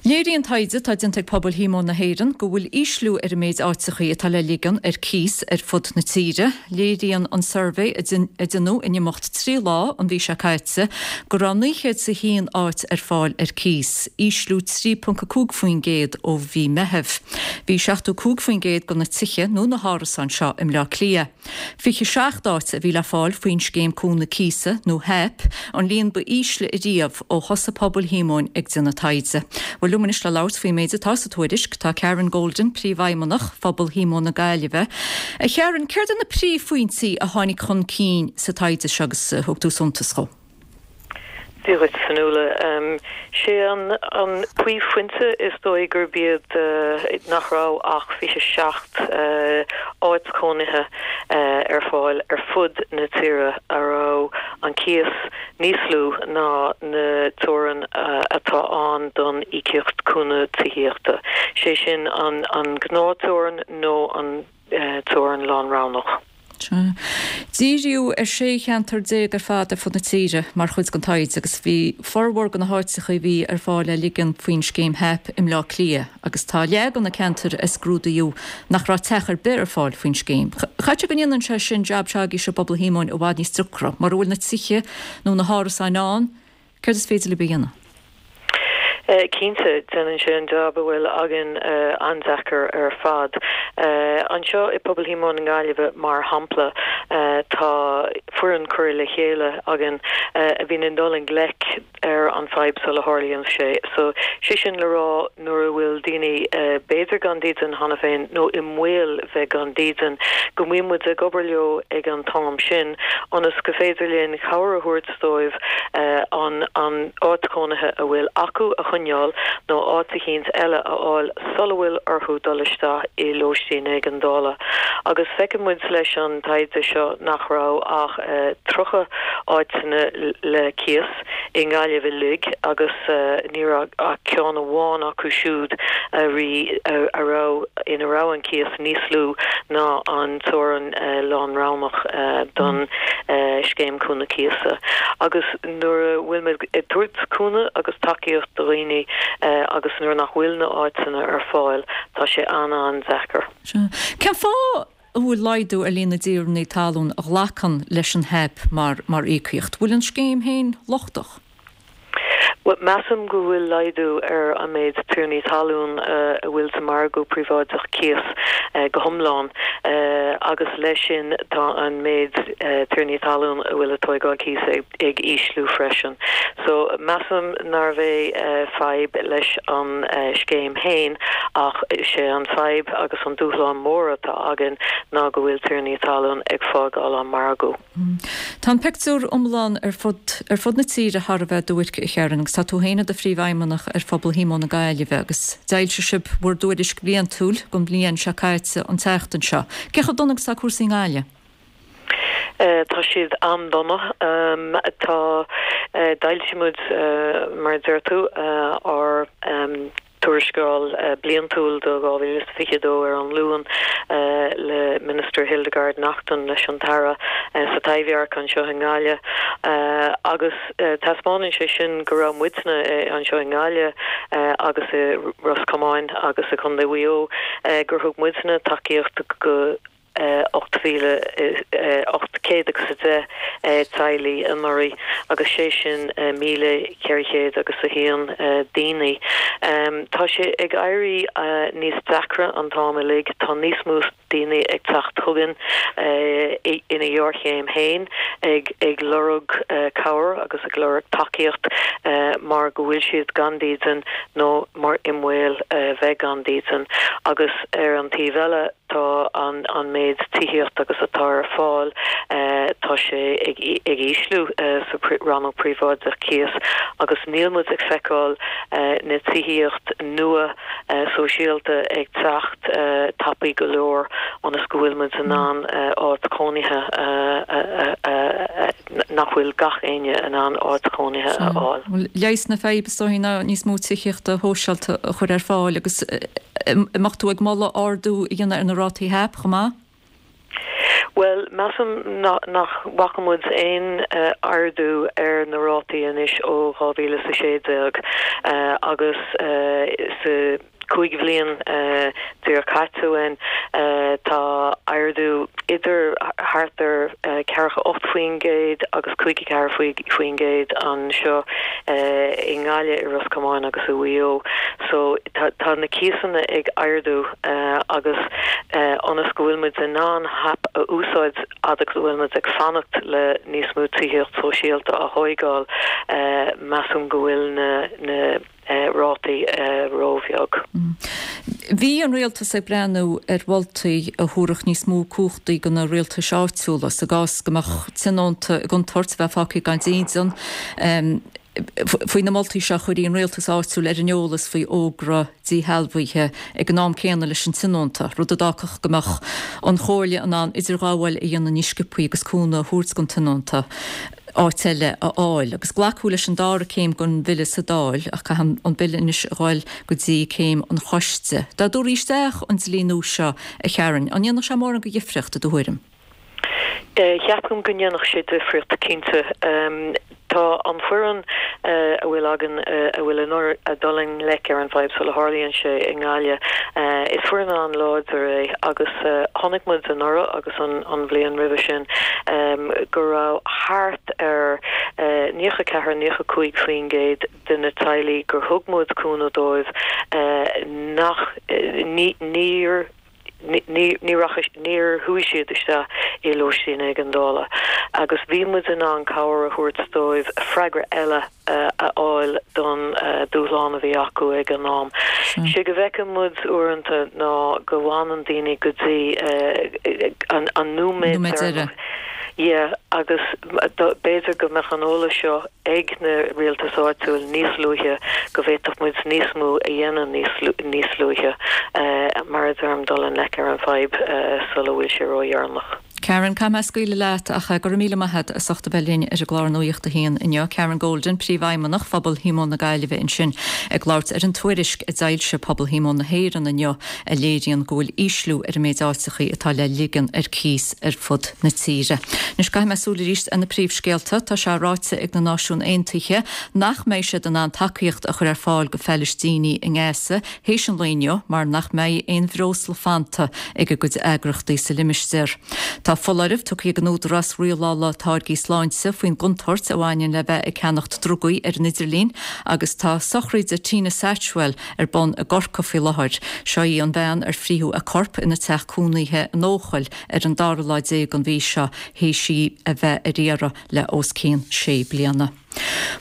Léiríonn taighde atá déanta ag Pobal Shíomóin na hÉireann go bhfuil ísliú ar an méid áiteachaí atá le ligean ar cíos ar fud na tíre. Léiríonn an suirbhé a deineadh in imeacht trí lá an mhí seo caite go raibh naoi chéad is a haon áit ar fáil ar cíos, ísliú trí ponc a cúig faoin gcéad ó mhí Meithimh. Bhí seachtó cúig faoin gcéad de na tithe nó na hárasáin seo i mBleá Cliath. Fiche seacht áit a bhí le fáil faoin Scéim Cúnamh Cíosa, nó HAP, an líon ba ísle ariamh ó thosaigh Pobal Shíomóin ag déanamh taighde. Bhuel, liom anois le labhairt faoin méid atá sa tuairisc tá Karen Golden, Príomhfheidhmeannach Phobal Shíomóin na Gaillimhe. A Karen, céard iad na príomhphointí a tháinig chun cinn sa taighde seo agus a thug tú suntas dhó? Dia dhuit, Fionnuala. Sé an príomhphointe is dóigh gurb iad nach raibh ach fiche seacht áit chónaithe ar fáil ar fud na tíre a raibh an cíos níos lú ná na teorainn atá ann don íocaíocht cúnamh tithíochta, sé sin an gnáth-teorainn nó an teorainn lánroghnach. Díríodh ar sé cheantar déag ar fad ar fud na tíre mar chuid den taighde agus bhí formhór de na háiteacha a bhí ar fáil le ligean faoin scéim HAP i mBleá Cliath agus tá leath de na ceantair a scrúdaíodh nach raibh teach ar bith ar fáil faoin scéim. Caithfidh go ndéanann sé sin jab s'agaibhse i bPobal Shíomóin i bhfad níos deacra. Mura bhfuil na tithe nó na hárasáin ann, céard is féidir libh a dhéanamh? Cinnte, déanann sé an jab a bhfuil againn an-deacair ar fad. Anseo i Pobal Shíomóin na Gaillimhe, mar shampla, tá foireann curtha le chéile againn a bhíonn ag dul i ngleic ar an fadhb sula tharlaíonn sé. So, sé sin le rá nuair a bhfuil daoine b'fhéidir gan dídean cheana féin nó i mbaol bheith gan dídean, go mbíonn muid ag obair leo ag an t-am sin ionas go féidir linn cabhair a thabhairt dóibh an an áit chónaithe a bhfuil acu a choinneáil nó áit eicínt eile a fháil sula bhfuil orthu dul isteach i lóistín éigeandála. Agus feiceann muid leis an taighde seo nach raibh ach tríocha áiteanna le cíos i nGaillimh uilig agus ní raibh ach ceann amháin acu siúd a a raibh ina raibh an cíos níos lú ná an teorainn lánroghnach don Scéim Cúnamh Cíosa. Agus nuair a bhfuil muid ag tabhairt cúnamh agus tacaíocht do dhaoine agus nuair nach bhfuil na áiteanna ar fáil, tá sé an-an-deacair. Cén fáth a bhfuil laghdú ar líon na dtiarnaí talún a ghlacann leis an HAP mar mar íocaíocht? Bhfuil an scéim féin lochtach? Bhuel, measaim go bhfuil laghdú ar an méid tiarnaí talún a bhfuil sa margadh príobháideach cíos go hiomlán agus leis sin tá an méid tiarnaí talún a bhfuil ag tóigeáil cíos ag ísliú freisin. So, measaim nárbh é fadhb leis an scéim féin ach is é an fadhb agus an dúshlán mór atá againn ná go bhfuil tiarnaí talún ag fágáil an margadh. Tá an pictiúr iomlán ar fud ar fud na tíre thar a bheith duairc, a Sharon, agus tá tú féin i do phríomhfheidhmeannach ar Phobal Shíomóin na Gaillimhe agus d'fhoilsigh sibh bhur dtuairisc bhliantúil don bhliain seo caite an tseachtain seo. Cé chomh dona agus atá cúrsaí i nGaillimh? Tá siad an-dona. Tá, d'fhoilsigh muid, mar a deir tú, ár Tuarascáil Bliantúil do dhá mhíle is fiche a dó ar an Luan le Minister Hildegarde Naughton, leis an tAire, sa Taibhdhearc anseo i nGaillimh agus taispeánann sé sin go raibh muidne anseo i nGaillimh agus i Ros Comáin agus i Contae Mhaigh Eo gur thug muidne tacaíocht go ocht mhíle ocht céad agus a deich teaghlaigh anuraidh agus sé sin míle ceithre chéad agus a haon daoine. Tá sé ag éirí níos deacra an t-am uilig. Tá níos mó daoine ag teacht chugainn ina ghéarchéim féin ag ag lorg cabhair agus ag lorg tacaíocht mar go bhfuil siad gan dídean nó mar i mbaol bheith gan dídean agus ar an taobh eile tá an an méid tithíocht agus atá ar fáil tá sé ag ag ísliú sa rannóg príobháideach cíos agus níl muid ag feiceáil na tithíocht nua sóisialta ag teacht tapaidh go leor ionas go bhfuil muid in ann áit chónaithe a nach bhfuil gach éinne in ann áit chónaithe a fháil. Leigheas na faidhbe is dóigh ná níos mó tithíochta shóisialta a chur ar fáil agus an mbeadh tú ag moladh ardú a dhéanamh ar na rátaí HAP chomh maith? Bhuel, measaim nach bhfaca muid aon ardú ar na rátaí anois ó dhá mhíle is a sé déag agus sa cúig bhliain déag caite uainn tá ardú idir thart ar ceathracha ocht faoin gcéad agus caoga ceathair faoin gcéad anseo i nGaillimh, i Ros Comáin agus i Mhaigh Eo. So tá na cíosanna ag ardú agus ionas go bhfuil muid in ann HAP a úsáid fhad agus a bhfuil muid ag fanacht le níos mó tithíocht sóisialta a thóigeáil, measaim go bhfuil na na rátaí róbheag. Bhí an rialtas ag breathnú ar mholtaí a thabharfadh níos mó cumhachtaí do na rialtais áitiúla sa gcás go mbeadh tionónta i gcontúirt a bheith fágtha gan dídean. Faoi na moltaí seo chuirfí an rialtas áitiúil ar an eolas faoi fhógra díshealbhaithe ag an am céanna leis an tionónta, rud a d'fhágfadh go mbeadh an chomhairle in ann idirghabháil a dhéanamh níos sciobthaí agus cúnamh a thabhairt don tionónta. áit eile a fháil. Agus glacadh leis an dara céim den bhille sa Dáil ach caithfidh an bille anois a ghabháil go dtí céim an choiste. Dá dtabharfaí isteach an dlí nua seo, a Sharon, an ndéanfadh sé mórán de dhifríocht i do thuairim? Ceapaim go ndéanfadh sé difríocht cinnte. Tá an foireann a bhfuil againn a bhfuil ag dul i ngleic ar an bhfadhb sula tharlaíonn sé i nGaillimh, is foireann an-láidir é agus chonaic muid anuraidh agus an bhliain roimhe sin go raibh thart ar naocha ceathair, naocha cúig faoin gcéad de na teaghlaigh gur thug muid cúnamh dóibh nach níor ní rachaidh, níor chuaigh siad isteach i lóistín éigeandála agus bhí muid in ann cabhair a thabhairt dóibh freagra eile a fháil don dúshlán a bhí acu ag an am. Sé go bhfeiceann muid uaireanta ná go bhfanann daoine go dtí an nóiméad deireanach. Yeah, agus b'fhéidir go mbeadh an eolas seo ag na rialtais áitiúil níos luaithe, go bhféadfadh muid níos mó a dhéanamh níos luaithe, mar a deirim, dul i ngleic ar an bhfadhb sula bhfuil sé ródheireanach. Karen, caithfidh mé scaoileadh leat ach go raibh míle maith agat as ucht a bheith linn ar an gclár Nuacht a hAon inniu. Karen Golden, Príomhfheidhmeannach Phobal Shíomóin na Gaillimhe ansin ag labhairt ar an tuairisc a d'fhoilsigh Pobal Shíomóin na hÉireann inniu a léiríonn go bhfuil ísliú ar an méid áiteachaí atá le ligean ar cíos ar fud na tíre. Anois caithfidh mé súil arís ar na príomhscéalta. Tá sé ráite ag na Náisiúin Aontaithe nach mbeidh siad in ann tacaíocht a chur ar fáil go Phalaistínigh i nGaza théis an lae inniu mar nach mbeidh aon bhreosla fanta ag a gcuid eagrachtaí sa limistéar. Tá foláireamh tugtha ag an Údarás Rialála Táirgí Sláinte faoin gcontúirt a bhaineann le bheith ag ceannacht drugaí ar an idirlíon agus tá sochraid Tina Satchwell ar bun i gCorcaigh faoi láthair. Seo í an bhean ar frítheadh a corp ina teach cónaithe in Eochaill ar an dara lá déag den mhí seo théis í a bheith ar iarraidh le os cionn sé bliana.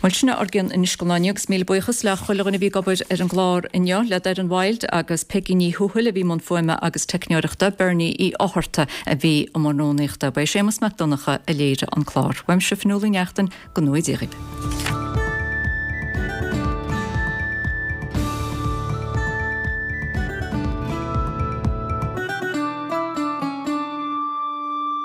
Bhuel sin ár gcionn anois don lá inniu agus míle buíochas le chuile dhuine a bhí ag obair ar an gclár inniu, le Doireann Wilde agus Peigí Ní Thuathail a bhí i mbun fuaime agus teicneoireachta, Bernie Uí Fhátharta a bhí i mbun rúnaíochta. Ba é Séamus Mac Donncha a léirigh an clár. Uaimse Fionnuala Ní Neachtain, go ngnóthaí Dia dhaoibh.